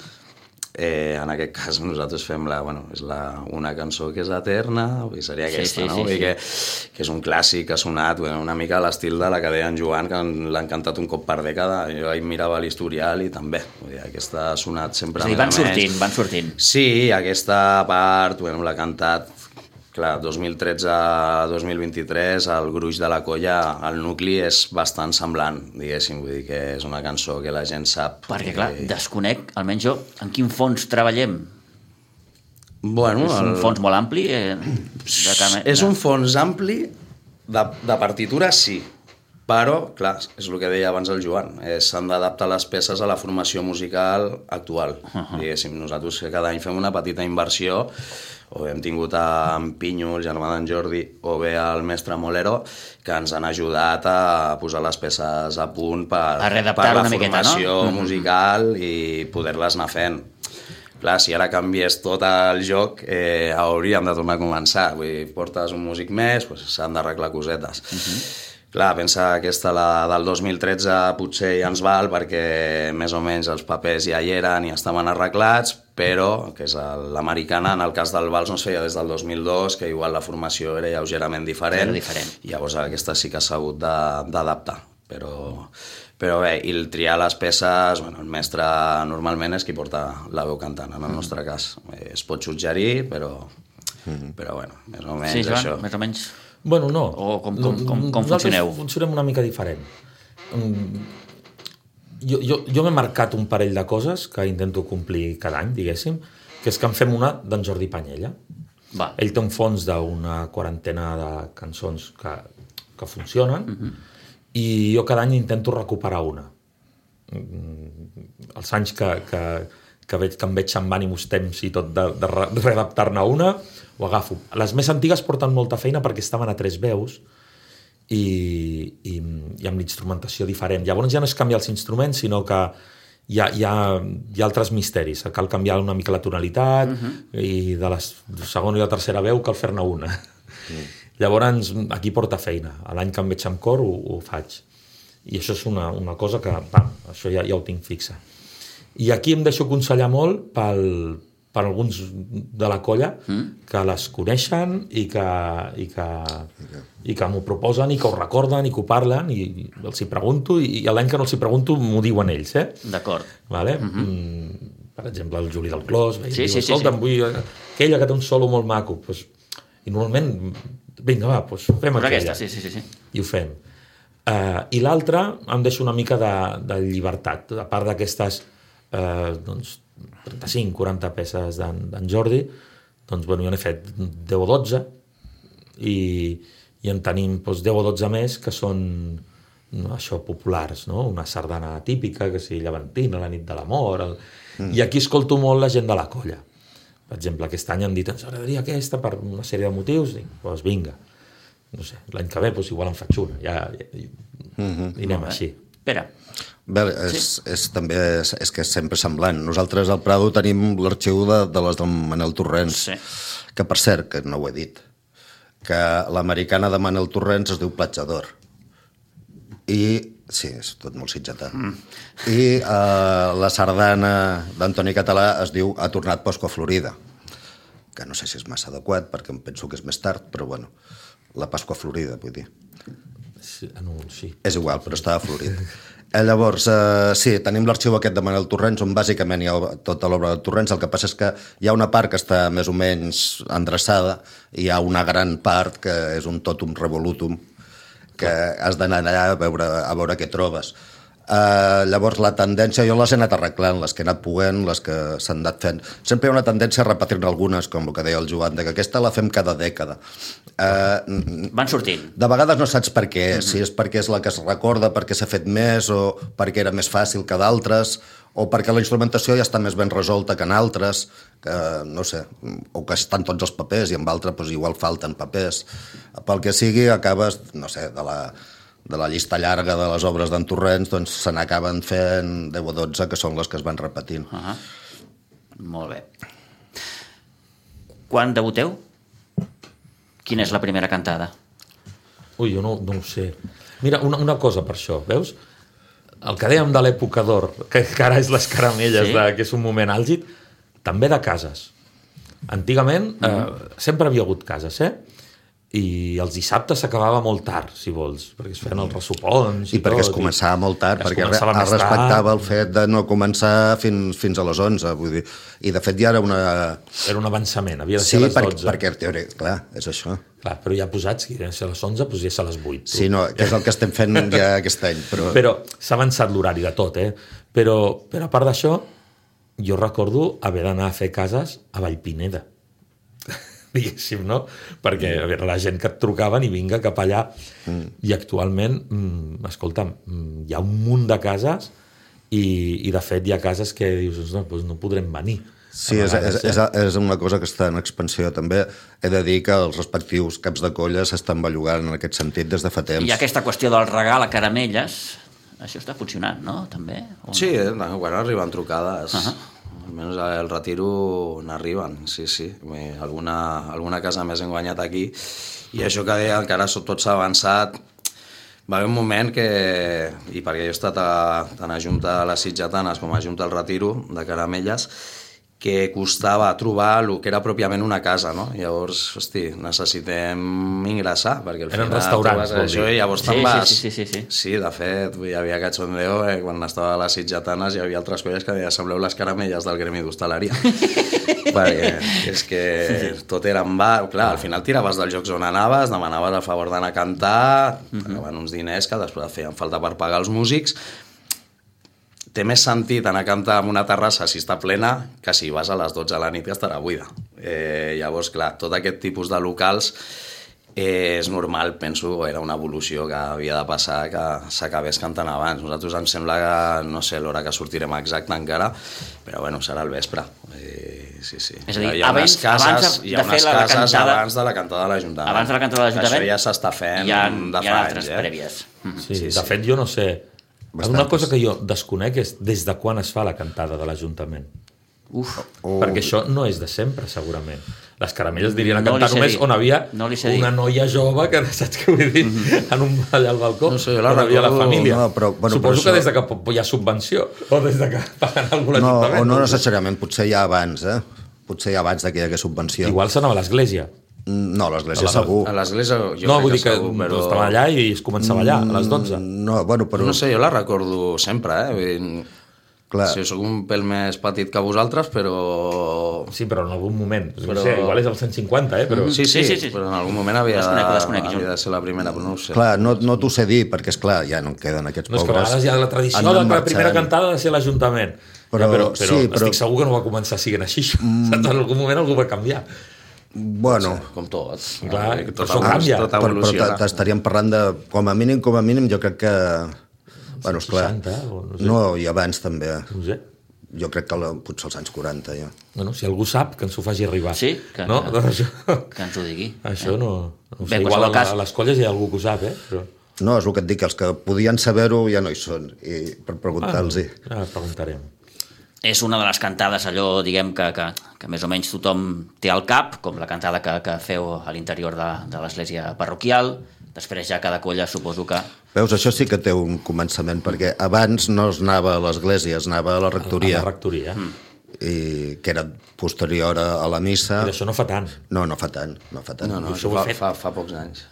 [SPEAKER 5] Eh, en aquest cas nosaltres fem la, bueno, és la, una cançó que és eterna, i seria
[SPEAKER 2] Sí,
[SPEAKER 5] aquesta,
[SPEAKER 2] sí,
[SPEAKER 5] no?
[SPEAKER 2] sí,
[SPEAKER 5] Vull dir
[SPEAKER 2] sí.
[SPEAKER 5] que, que és un clàssic que ha sonat, bueno, una mica a l'estil de la que deia en Joan, que l'han cantat un cop per dècada. Jo ahir mirava l'historial i també. Vull dir, aquesta ha sonat sempre
[SPEAKER 2] És a dir,
[SPEAKER 5] més
[SPEAKER 2] van
[SPEAKER 5] o menys.
[SPEAKER 2] sortint, van sortint.
[SPEAKER 5] Sí, aquesta part, bueno, l'ha cantat, clar, dos mil tretze a dos mil vint-i-tres, el gruix de la colla, el nucli és bastant semblant, diguéssim, vull dir que és una cançó que la gent sap.
[SPEAKER 2] Perquè, clar,
[SPEAKER 5] I...
[SPEAKER 2] desconec, almenys jo, en quin fons treballem.
[SPEAKER 5] Bueno,
[SPEAKER 2] És un
[SPEAKER 5] el...
[SPEAKER 2] fons molt ampli? Eh, de cam...
[SPEAKER 5] És un fons ampli, de, de partitura sí, però, clar, és el que deia abans el Joan, eh, s'han d'adaptar les peces a la formació musical actual. Uh -huh. Diguéssim, nosaltres que cada any fem una petita inversió, o hem tingut en Pinyo, el germà d'en Jordi, o bé el mestre Molero, que ens han ajudat a posar les peces a punt per,
[SPEAKER 2] A readaptar
[SPEAKER 5] per la
[SPEAKER 2] una miqueta, no?
[SPEAKER 5] formació musical i poder-les anar fent. Clar, si ara canvies tot el joc, eh, hauríem de tornar a començar. Vull dir, portes un músic més, doncs s'han d'arreglar cosetes. Uh-huh. Clar, pensa que aquesta, la del dos mil tretze, potser ja ens val perquè més o menys els papers ja hi eren i estaven arreglats, però, que és l'americana, en el cas del vals no es feia des del dos mil dos, que igual la formació era lleugerament diferent,
[SPEAKER 2] Era diferent.
[SPEAKER 5] i llavors aquesta sí que s'ha hagut d'adaptar. Però, però bé, i el triar les peces, bueno, el mestre normalment és qui porta la veu cantant, en el nostre cas. Eh, es pot suggerir, però, però bueno, més o menys
[SPEAKER 2] Sí, Joan,
[SPEAKER 5] això.
[SPEAKER 2] més o menys.
[SPEAKER 4] Bueno, no.
[SPEAKER 2] O com- com- com- com
[SPEAKER 4] Nosaltres
[SPEAKER 2] funcioneu?
[SPEAKER 4] funcionem una mica diferent. Mm, Jo, jo, jo m'he marcat un parell de coses que intento complir cada any, diguéssim, que és que en fem una d'en Jordi Panyella.
[SPEAKER 2] Va.
[SPEAKER 4] Ell té un fons d'una quarantena de cançons que, que funcionen, uh-huh. i jo cada any intento recuperar una. Mm, Els anys que, que, que, veig, que em veig amb ànims temps i tot de, de re- readaptar-ne una, ho agafo. Les més antigues porten molta feina perquè estaven a tres veus i, i, i amb l'instrumentació diferent. Llavors ja no és canviar els instruments, sinó que hi ha, hi ha, hi ha altres misteris. Cal canviar una mica la tonalitat, uh-huh. i de la segona i la tercera veu cal fer-ne una. Uh-huh. Llavors aquí porta feina. L'any que em veig amb cor ho, ho faig. I això és una, una cosa que, pam, això ja, ja ho tinc fixa. I aquí em deixo aconsellar molt pel, per alguns de la colla mm. que les coneixen i que, i que, i que m'ho proposen i que ho recorden i que ho parlen i els hi pregunto i, i l'any que no els hi pregunto m'ho diuen ells, eh?
[SPEAKER 2] D'acord.
[SPEAKER 4] Vale? Mm-hmm. Per exemple, el Juli del Clos, sí,
[SPEAKER 2] sí,
[SPEAKER 4] diu,
[SPEAKER 2] sí,
[SPEAKER 4] escolta'm,
[SPEAKER 2] sí.
[SPEAKER 4] vull aquella que té un solo molt maco. Pues, i normalment, vinga, va, pues, fem
[SPEAKER 2] Pues
[SPEAKER 4] aquella.
[SPEAKER 2] aquesta, sí, sí, sí, sí.
[SPEAKER 4] I ho fem. Uh, I l'altra em deixa una mica de, de llibertat. A part d'aquestes uh, doncs, trenta-cinc quaranta peces d'en Jordi, doncs, bueno, jo n'he fet deu o dotze i, i en tenim doncs, deu o dotze més que són no, això, populars, no? Una sardana típica, que sigui llevantina, la nit de l'amor... El... Mm. I aquí escolto molt la gent de la colla. Per exemple, aquest any han dit ens agradaria aquesta per una sèrie de motius, dic, doncs vinga. No sé, l'any que ve doncs, igual en faig una. Ja, ja, ja mm-hmm. i anem així.
[SPEAKER 2] Pere.
[SPEAKER 3] Bé, és, sí. és, també és, és que és sempre semblant. Nosaltres al Prado tenim l'arxiu de, de les del Manel Torrents,
[SPEAKER 2] Sí.
[SPEAKER 3] que per cert, que no ho he dit, que l'americana de Manel Torrents es diu Platjador. I, sí, és tot molt sitgetà. Mm. I uh, la sardana d'Antoni Català es diu Ha tornat Pasqua Florida, que no sé si és massa adequat, perquè em penso que és més tard, però bueno, la Pasqua Florida, vull dir.
[SPEAKER 4] Sí, no, sí.
[SPEAKER 3] És igual, però està florit. Eh, llavors, eh, sí, tenim l'arxiu aquest de Manel Torrents, on bàsicament hi ha tota l'obra de Torrents. El que passa és que hi ha una part que està més o menys endreçada i hi ha una gran part que és un totum revolutum, que has d'anar allà a veure, a veure què trobes. Uh, llavors la tendència, jo les he anat arreglant, les que he anat poguent, les que s'han anat fent. Sempre hi ha una tendència a repetir-ne algunes, com el que deia el Joan, que aquesta la fem cada dècada. Uh,
[SPEAKER 2] Van sortint.
[SPEAKER 3] de vegades no saps per què, mm-hmm. si és perquè és la que es recorda, perquè s'ha fet més, o perquè era més fàcil que d'altres, o perquè la instrumentació ja està més ben resolta que en altres, que no sé, o que estan tots els papers i en altres doncs, igual falten papers. Pel que sigui, acabes, no sé, de la... de la llista llarga de les obres d'en Torrents, doncs se n'acaben fent deu o dotze, que són les que es van repetint.
[SPEAKER 2] Uh -huh. Molt bé. Quan debuteu? Quina és la primera cantada?
[SPEAKER 4] Ui, jo no, no ho sé. Mira, una, una cosa per això, veus? El que dèiem de l'època d'or, que, que ara és les caramelles,
[SPEAKER 2] Sí.
[SPEAKER 4] de, que és un moment àlgid, també de cases. Antigament eh, sempre havia hagut cases, eh? I els dissabtes s'acabava molt tard, si vols, perquè es feien els ressopons i,
[SPEAKER 3] I perquè
[SPEAKER 4] tot,
[SPEAKER 3] es començava molt tard,
[SPEAKER 4] es
[SPEAKER 3] perquè es
[SPEAKER 4] començava més
[SPEAKER 3] respectava
[SPEAKER 4] tard.
[SPEAKER 3] el fet de no començar fins, fins a les onze, vull dir. I de fet ja era una...
[SPEAKER 4] Era un avançament, havia de
[SPEAKER 3] Sí,
[SPEAKER 4] ser a les
[SPEAKER 3] perquè,
[SPEAKER 4] dotze.
[SPEAKER 3] perquè en teoria, clar, és això.
[SPEAKER 4] Clar, però ja posats, que havia de ser a les onze, doncs ja és a les vuit. Tu.
[SPEAKER 3] Sí, no, que és el que estem fent ja aquest any. Però,
[SPEAKER 4] Però s'ha avançat l'horari de tot, eh? Però, però a part d'això, jo recordo haver d'anar a fer cases a Vallpineda, diguéssim, no? Perquè a veure, la gent que et trucaven i vinga cap allà. Mm. I actualment, mm, escolta'm, mm, hi ha un munt de cases i, i de fet hi ha cases que dius, no, doncs no podrem venir.
[SPEAKER 3] sí, és, és, és, és una cosa que està en expansió també. He de dir que els respectius caps de colla s'estan bellugant en aquest sentit des de fa temps.
[SPEAKER 2] I aquesta qüestió del regal a caramelles, això està funcionant, no? També? O...
[SPEAKER 5] Sí, eh? Quan arriben trucades... Uh
[SPEAKER 2] Ahà.
[SPEAKER 5] -huh. Almenys el retiro n'arriben, sí, sí. Alguna, alguna casa més hem guanyat aquí. I això que deia, que ara tot s'ha avançat, va haver un moment que, i perquè jo he estat a, tant a Junta de les Sitgetanes com a Junta del Retiro de Caramelles, que costava trobar el que era pròpiament una casa, no? Llavors, hosti, necessitem ingressar, perquè al
[SPEAKER 4] Eren
[SPEAKER 5] final
[SPEAKER 4] restaurants,
[SPEAKER 5] trobes
[SPEAKER 4] vol
[SPEAKER 5] això
[SPEAKER 4] dir.
[SPEAKER 5] i llavors
[SPEAKER 2] Sí,
[SPEAKER 5] te'n
[SPEAKER 2] sí,
[SPEAKER 5] vas...
[SPEAKER 2] sí, sí, sí, sí.
[SPEAKER 5] Sí, de fet, hi havia cachondeo, eh, quan estava a les Sitgetanes hi havia altres colles que deien, sembleu les caramelles del gremi d'hostaleria. Perquè és que tot era en bar, clar, al final tiraves dels jocs on anaves, demanaves el favor d'anar a cantar, pagaven uns diners que després feien falta per pagar els músics. Té més sentit anar a cantar en una terrassa si està plena que si vas a les dotze de la nit que estarà buida. Eh, llavors, clar, tot aquest tipus de locals eh, és normal, penso, era una evolució que havia de passar, que s'acabés cantant abans. Nosaltres em sembla que, no sé l'hora que sortirem exacta encara, però bueno, serà al vespre. Eh, sí, sí.
[SPEAKER 2] És a dir,
[SPEAKER 5] hi ha
[SPEAKER 2] abans-
[SPEAKER 5] unes cases,
[SPEAKER 2] abans de-
[SPEAKER 5] hi ha
[SPEAKER 2] de
[SPEAKER 5] unes
[SPEAKER 2] fer la
[SPEAKER 5] cases
[SPEAKER 2] cantada-
[SPEAKER 5] abans de la cantada de l'Ajuntament.
[SPEAKER 2] Abans de la cantada de l'Ajuntament,
[SPEAKER 5] Això ja s'està fent
[SPEAKER 2] hi ha,
[SPEAKER 5] de
[SPEAKER 2] hi ha
[SPEAKER 5] fa
[SPEAKER 2] altres
[SPEAKER 5] anys, eh?
[SPEAKER 2] prèvies. Mhm.
[SPEAKER 4] Sí,
[SPEAKER 5] Sí,
[SPEAKER 4] de
[SPEAKER 5] sí.
[SPEAKER 4] fet, jo no sé...
[SPEAKER 3] Bastantes.
[SPEAKER 4] Una cosa que jo desconec és des de quan es fa la cantada de l'Ajuntament.
[SPEAKER 2] Uf,
[SPEAKER 3] O...
[SPEAKER 4] Perquè això no és de sempre, segurament. Les caramelles dirien a
[SPEAKER 2] No li
[SPEAKER 4] cantar
[SPEAKER 2] sé
[SPEAKER 4] només
[SPEAKER 2] dir.
[SPEAKER 4] on havia
[SPEAKER 2] No li sé dir.
[SPEAKER 4] una noia jove que, saps què vull dir? En un, allà al balcó,
[SPEAKER 5] No sé, jo la
[SPEAKER 4] on havia la
[SPEAKER 5] recordo-
[SPEAKER 4] família.
[SPEAKER 3] No, però- bueno,
[SPEAKER 4] Suposo
[SPEAKER 3] però
[SPEAKER 4] que
[SPEAKER 3] això-
[SPEAKER 4] des de que hi ha subvenció o des de que paguen algú
[SPEAKER 3] No,
[SPEAKER 4] l'Ajuntament.
[SPEAKER 3] o no
[SPEAKER 4] ho sé.
[SPEAKER 3] necessàriament, potser ja abans, eh? Potser ja abans que hi hagués subvenció.
[SPEAKER 4] Igual s'anava a l'església.
[SPEAKER 3] No, l'església
[SPEAKER 4] A la-
[SPEAKER 3] segur.
[SPEAKER 5] A l'església jo
[SPEAKER 4] No,
[SPEAKER 5] crec
[SPEAKER 4] vull dir que
[SPEAKER 5] segur, però...
[SPEAKER 4] estaven allà i es començava allà, a les dotze.
[SPEAKER 3] No, bueno, però...
[SPEAKER 5] No sé, jo la recordo sempre, eh? Vull dir,
[SPEAKER 3] Clar.
[SPEAKER 5] sí, jo soc un pèl més petit que vosaltres, però...
[SPEAKER 4] Sí, però en algun moment. No
[SPEAKER 5] Però-
[SPEAKER 4] sé, igual és el cent cinquanta, eh? Però...
[SPEAKER 5] Sí, sí,
[SPEAKER 2] Sí, sí, sí.
[SPEAKER 5] però en algun moment havia,
[SPEAKER 2] Desconec,
[SPEAKER 5] de,
[SPEAKER 2] desconec, jo.
[SPEAKER 5] havia de ser la primera, però no ho sé.
[SPEAKER 3] Clar, no, no t'ho sé dir, perquè, és clar ja no en queden aquests
[SPEAKER 4] No, és que a
[SPEAKER 3] pobres.
[SPEAKER 4] vegades hi ha la tradició
[SPEAKER 3] Han
[SPEAKER 4] de
[SPEAKER 3] anat
[SPEAKER 4] que la primera
[SPEAKER 3] marxant.
[SPEAKER 4] cantada ha de ser a l'Ajuntament.
[SPEAKER 3] Però-
[SPEAKER 4] Ja, però, però,
[SPEAKER 3] sí, però-
[SPEAKER 4] estic segur que no va començar sent així. Mm. En algun moment algú va canviar.
[SPEAKER 3] Bueno,
[SPEAKER 5] Com tot.
[SPEAKER 4] Clar,
[SPEAKER 5] Eh,
[SPEAKER 4] però
[SPEAKER 5] tot,
[SPEAKER 4] això
[SPEAKER 5] evolu-
[SPEAKER 4] canvia.
[SPEAKER 5] tot
[SPEAKER 3] però, però
[SPEAKER 5] evoluciona.
[SPEAKER 3] t- t'estaríem parlant de, com a mínim, com a mínim, jo crec que... Bueno, esclar,
[SPEAKER 4] seixanta, o no sé.
[SPEAKER 3] no, i abans també.
[SPEAKER 4] No sé.
[SPEAKER 3] Jo crec que la, potser als anys quaranta, ja.
[SPEAKER 4] Bueno, si algú sap, que ens ho faci arribar.
[SPEAKER 2] Sí, que-
[SPEAKER 4] no?
[SPEAKER 2] que-
[SPEAKER 4] Doncs això,
[SPEAKER 2] que ens ho digui.
[SPEAKER 4] això no, no ho
[SPEAKER 2] Bé,
[SPEAKER 4] sé.
[SPEAKER 2] en
[SPEAKER 4] Igual a,
[SPEAKER 2] qualsevol cas-
[SPEAKER 4] a les colles hi ha algú que ho sap, eh? Però...
[SPEAKER 3] No, és el que et dic, que els que podien saber-ho ja no hi són, i per preguntar-los-hi.
[SPEAKER 4] Ah, ara preguntarem.
[SPEAKER 2] És una de les cantades, allò, diguem, que, que, que més o menys tothom té al cap, com la cantada que, que feu a l'interior de, de l'església parroquial. Després ja cada colla suposo que...
[SPEAKER 3] Veus, això sí que té un començament, perquè abans no es anava a l'església, es anava a la
[SPEAKER 4] A
[SPEAKER 3] rectoria,
[SPEAKER 4] la rectoria. Mm.
[SPEAKER 3] i que era posterior a, a la missa.
[SPEAKER 4] I això no fa tant.
[SPEAKER 3] No, no fa tant, no fa tant.
[SPEAKER 5] No, no,
[SPEAKER 4] això
[SPEAKER 5] això
[SPEAKER 4] ho he
[SPEAKER 5] fa,
[SPEAKER 4] fet.
[SPEAKER 5] fa, fa pocs anys.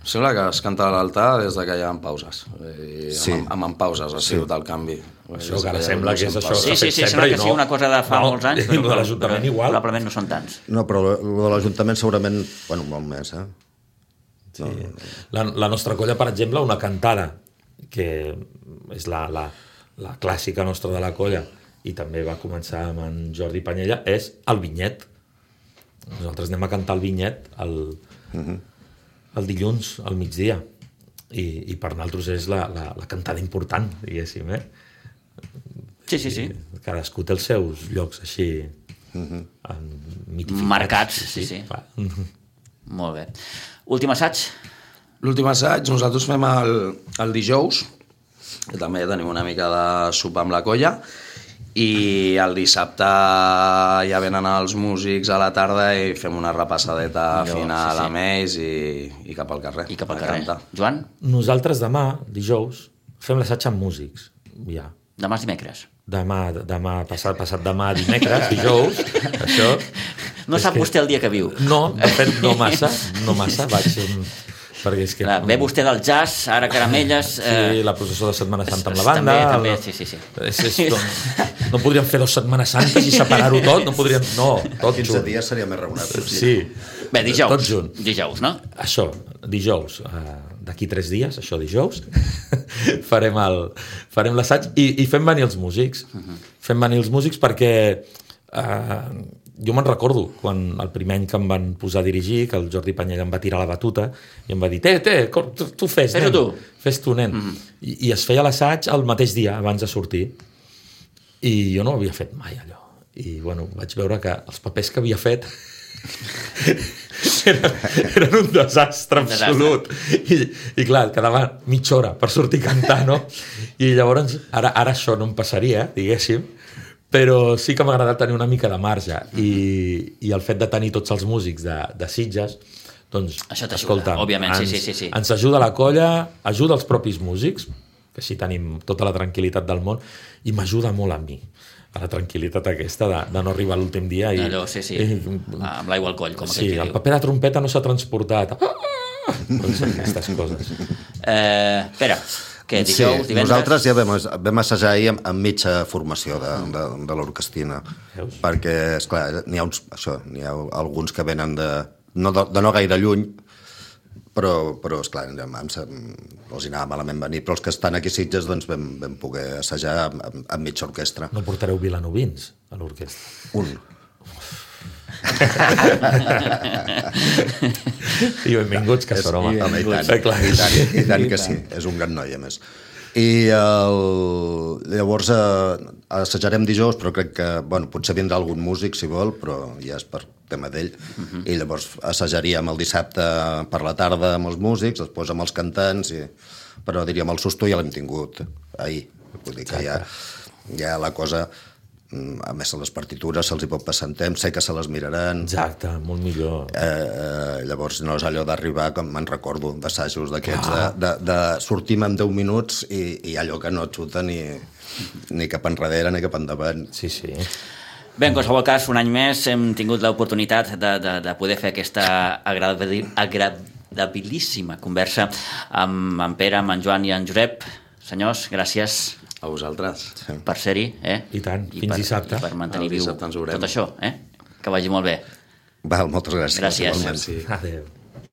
[SPEAKER 5] Sembla que es canta a l'altar des de que hi ha pauses. I
[SPEAKER 3] Sí.
[SPEAKER 5] amb, amb, amb pauses ha sigut el canvi.
[SPEAKER 4] Això que ara sembla que és això.
[SPEAKER 2] Sí,
[SPEAKER 4] s'ha
[SPEAKER 2] sí,
[SPEAKER 4] fet
[SPEAKER 2] sí,
[SPEAKER 4] sempre
[SPEAKER 2] sembla
[SPEAKER 4] i
[SPEAKER 2] que
[SPEAKER 4] no.
[SPEAKER 2] sigui una cosa de fa
[SPEAKER 4] No,
[SPEAKER 2] molts anys,
[SPEAKER 4] i lo de
[SPEAKER 2] però,
[SPEAKER 4] l'Ajuntament
[SPEAKER 2] però
[SPEAKER 4] igual.
[SPEAKER 2] probablement no són tants.
[SPEAKER 3] No, però el de l'Ajuntament segurament, bueno, molt més, eh?
[SPEAKER 4] Sí. La, la nostra colla, per exemple, una cantada, que és la, la, la clàssica nostra de la colla, i també va començar amb en Jordi Panyella, és el vinyet. Nosaltres anem a cantar el vinyet el, uh-huh. el dilluns, al migdia. I, i per nosaltres és la, la, la cantada important, diguéssim, eh?
[SPEAKER 2] Sí, sí, sí.
[SPEAKER 4] Cadascú té els seus llocs així uh-huh. mitificats.
[SPEAKER 2] Marcats, sí, sí.
[SPEAKER 4] Clar.
[SPEAKER 2] Molt bé. Últim assaig?
[SPEAKER 5] L'últim assaig nosaltres fem el, el dijous, que també tenim una mica de sopar amb la colla, i el dissabte ja venen els músics a la tarda i fem una repassadeta
[SPEAKER 2] Allò,
[SPEAKER 5] final
[SPEAKER 2] sí, sí.
[SPEAKER 5] amb ells i, i cap al carrer.
[SPEAKER 2] I cap al
[SPEAKER 5] a
[SPEAKER 2] carrer.
[SPEAKER 5] cantar.
[SPEAKER 2] Joan?
[SPEAKER 4] Nosaltres demà, dijous, fem l'assaig amb músics. Ja.
[SPEAKER 2] Demà és dimecres.
[SPEAKER 4] demà, demà passat, passat demà dimecres, dijous, això...
[SPEAKER 2] No sap
[SPEAKER 4] que...
[SPEAKER 2] vostè el dia que viu.
[SPEAKER 4] No, de fet, no massa, no massa, vaig... Perquè és que...
[SPEAKER 2] Clar, ve vostè del jazz, ara caramelles...
[SPEAKER 4] Sí,
[SPEAKER 2] eh...
[SPEAKER 4] la processó de Setmana Santa amb la banda...
[SPEAKER 2] També, també,
[SPEAKER 4] el...
[SPEAKER 2] sí, sí, sí.
[SPEAKER 4] És, és, no, no podríem fer dos Setmanes Santes i separar-ho tot, no podríem... No, tot
[SPEAKER 3] quinze
[SPEAKER 4] junt.
[SPEAKER 3] dies seria més raonable.
[SPEAKER 4] Sí.
[SPEAKER 2] Bé, dijous,
[SPEAKER 4] tot junt.
[SPEAKER 2] dijous, no?
[SPEAKER 4] Això, dijous, uh, d'aquí tres dies, això dijous, farem el farem l'assaig i, i fem venir els músics. Uh -huh. Fem venir els músics perquè uh, jo me'n recordo quan el primer any que em van posar a dirigir, que el Jordi Panyella em va tirar la batuta i em va dir, té, té, tu, tu fes, nen.
[SPEAKER 2] tu.
[SPEAKER 4] Fes tu, nen. Uh -huh. I, I es feia l'assaig el mateix dia abans de sortir. I jo no ho havia fet mai, allò. I, bueno, vaig veure que els papers que havia fet eren, eren un desastre absolut. I, i clar, quedava mitja hora per sortir a cantar, no? I llavors, ara, ara això no em passaria, diguéssim, però sí que m'ha agradat tenir una mica de marge i, i el fet de tenir tots els músics de, de Sitges, doncs,
[SPEAKER 2] això
[SPEAKER 4] escolta,
[SPEAKER 2] òbviament,
[SPEAKER 4] ens,
[SPEAKER 2] sí, sí, sí.
[SPEAKER 4] ens ajuda la colla, ajuda els propis músics, que així tenim tota la tranquil·litat del món, i m'ajuda molt a mi, a la tranquil·litat aquesta de, de no arribar l'últim dia i,
[SPEAKER 2] allò, sí, sí,
[SPEAKER 4] i,
[SPEAKER 2] amb l'aigua al coll, com
[SPEAKER 4] sí,
[SPEAKER 2] aquell
[SPEAKER 4] el
[SPEAKER 2] diu.
[SPEAKER 4] paper de trompeta no s'ha transportat. Doncs aquestes coses.
[SPEAKER 2] Eh, espera, què, dijous,
[SPEAKER 3] sí,
[SPEAKER 2] divendres?
[SPEAKER 3] nosaltres ja vam, vam assajar ahir amb, amb mitja formació de, de, de l'orquestina.
[SPEAKER 4] Veus?
[SPEAKER 3] Perquè, esclar, n'hi ha, uns, això, n'hi ha alguns que venen de no, de, de no gaire lluny, però, però esclar, em, em, els hi anava malament venir, però els que estan aquí a Sitges doncs vam, vam poder assajar amb, amb, amb mitja orquestra.
[SPEAKER 4] No portareu vilanovins a l'orquestra?
[SPEAKER 3] Un.
[SPEAKER 4] I benvinguts, que són, home.
[SPEAKER 3] I, home, i tant,
[SPEAKER 4] Sí, clar.
[SPEAKER 3] i tant, i tant que sí, és un gran noi, a més. I el... llavors eh, assajarem dijous, però crec que, bueno, potser vindrà algun músic, si vol, però ja és per tema d'ell. Uh -huh. I llavors assajaríem el dissabte per la tarda amb els músics, després amb els cantants, i... però diríem el susto ja l'hem tingut ahir. Vull dir que ja, ja la cosa... A més, a les partitures se'ls hi pot passar en temps, sé que se les miraran.
[SPEAKER 4] Exacte, molt millor.
[SPEAKER 3] Eh, eh, llavors no és allò d'arribar, com me'n recordo, d'assajos d'aquests, de, de, de sortim en deu minuts i, i allò que no et xuta ni, ni cap enrere ni cap endavant.
[SPEAKER 4] Sí, sí.
[SPEAKER 2] Bé, en qualsevol cas, un any més hem tingut l'oportunitat de, de, de poder fer aquesta agradabil, agradabilíssima conversa amb en Pere, amb en Joan i en Josep. Senyors, gràcies
[SPEAKER 5] a vosaltres
[SPEAKER 2] sí. per ser-hi. Eh?
[SPEAKER 4] I tant,
[SPEAKER 2] I
[SPEAKER 4] fins
[SPEAKER 2] per,
[SPEAKER 4] dissabte.
[SPEAKER 2] I per mantenir
[SPEAKER 5] el
[SPEAKER 2] viu
[SPEAKER 5] dissabte ens veurem.
[SPEAKER 2] tot això. Eh? Que vagi molt bé.
[SPEAKER 3] Val, moltes gràcies.
[SPEAKER 2] Gràcies.
[SPEAKER 3] Igualment.
[SPEAKER 5] Merci.
[SPEAKER 4] Adéu.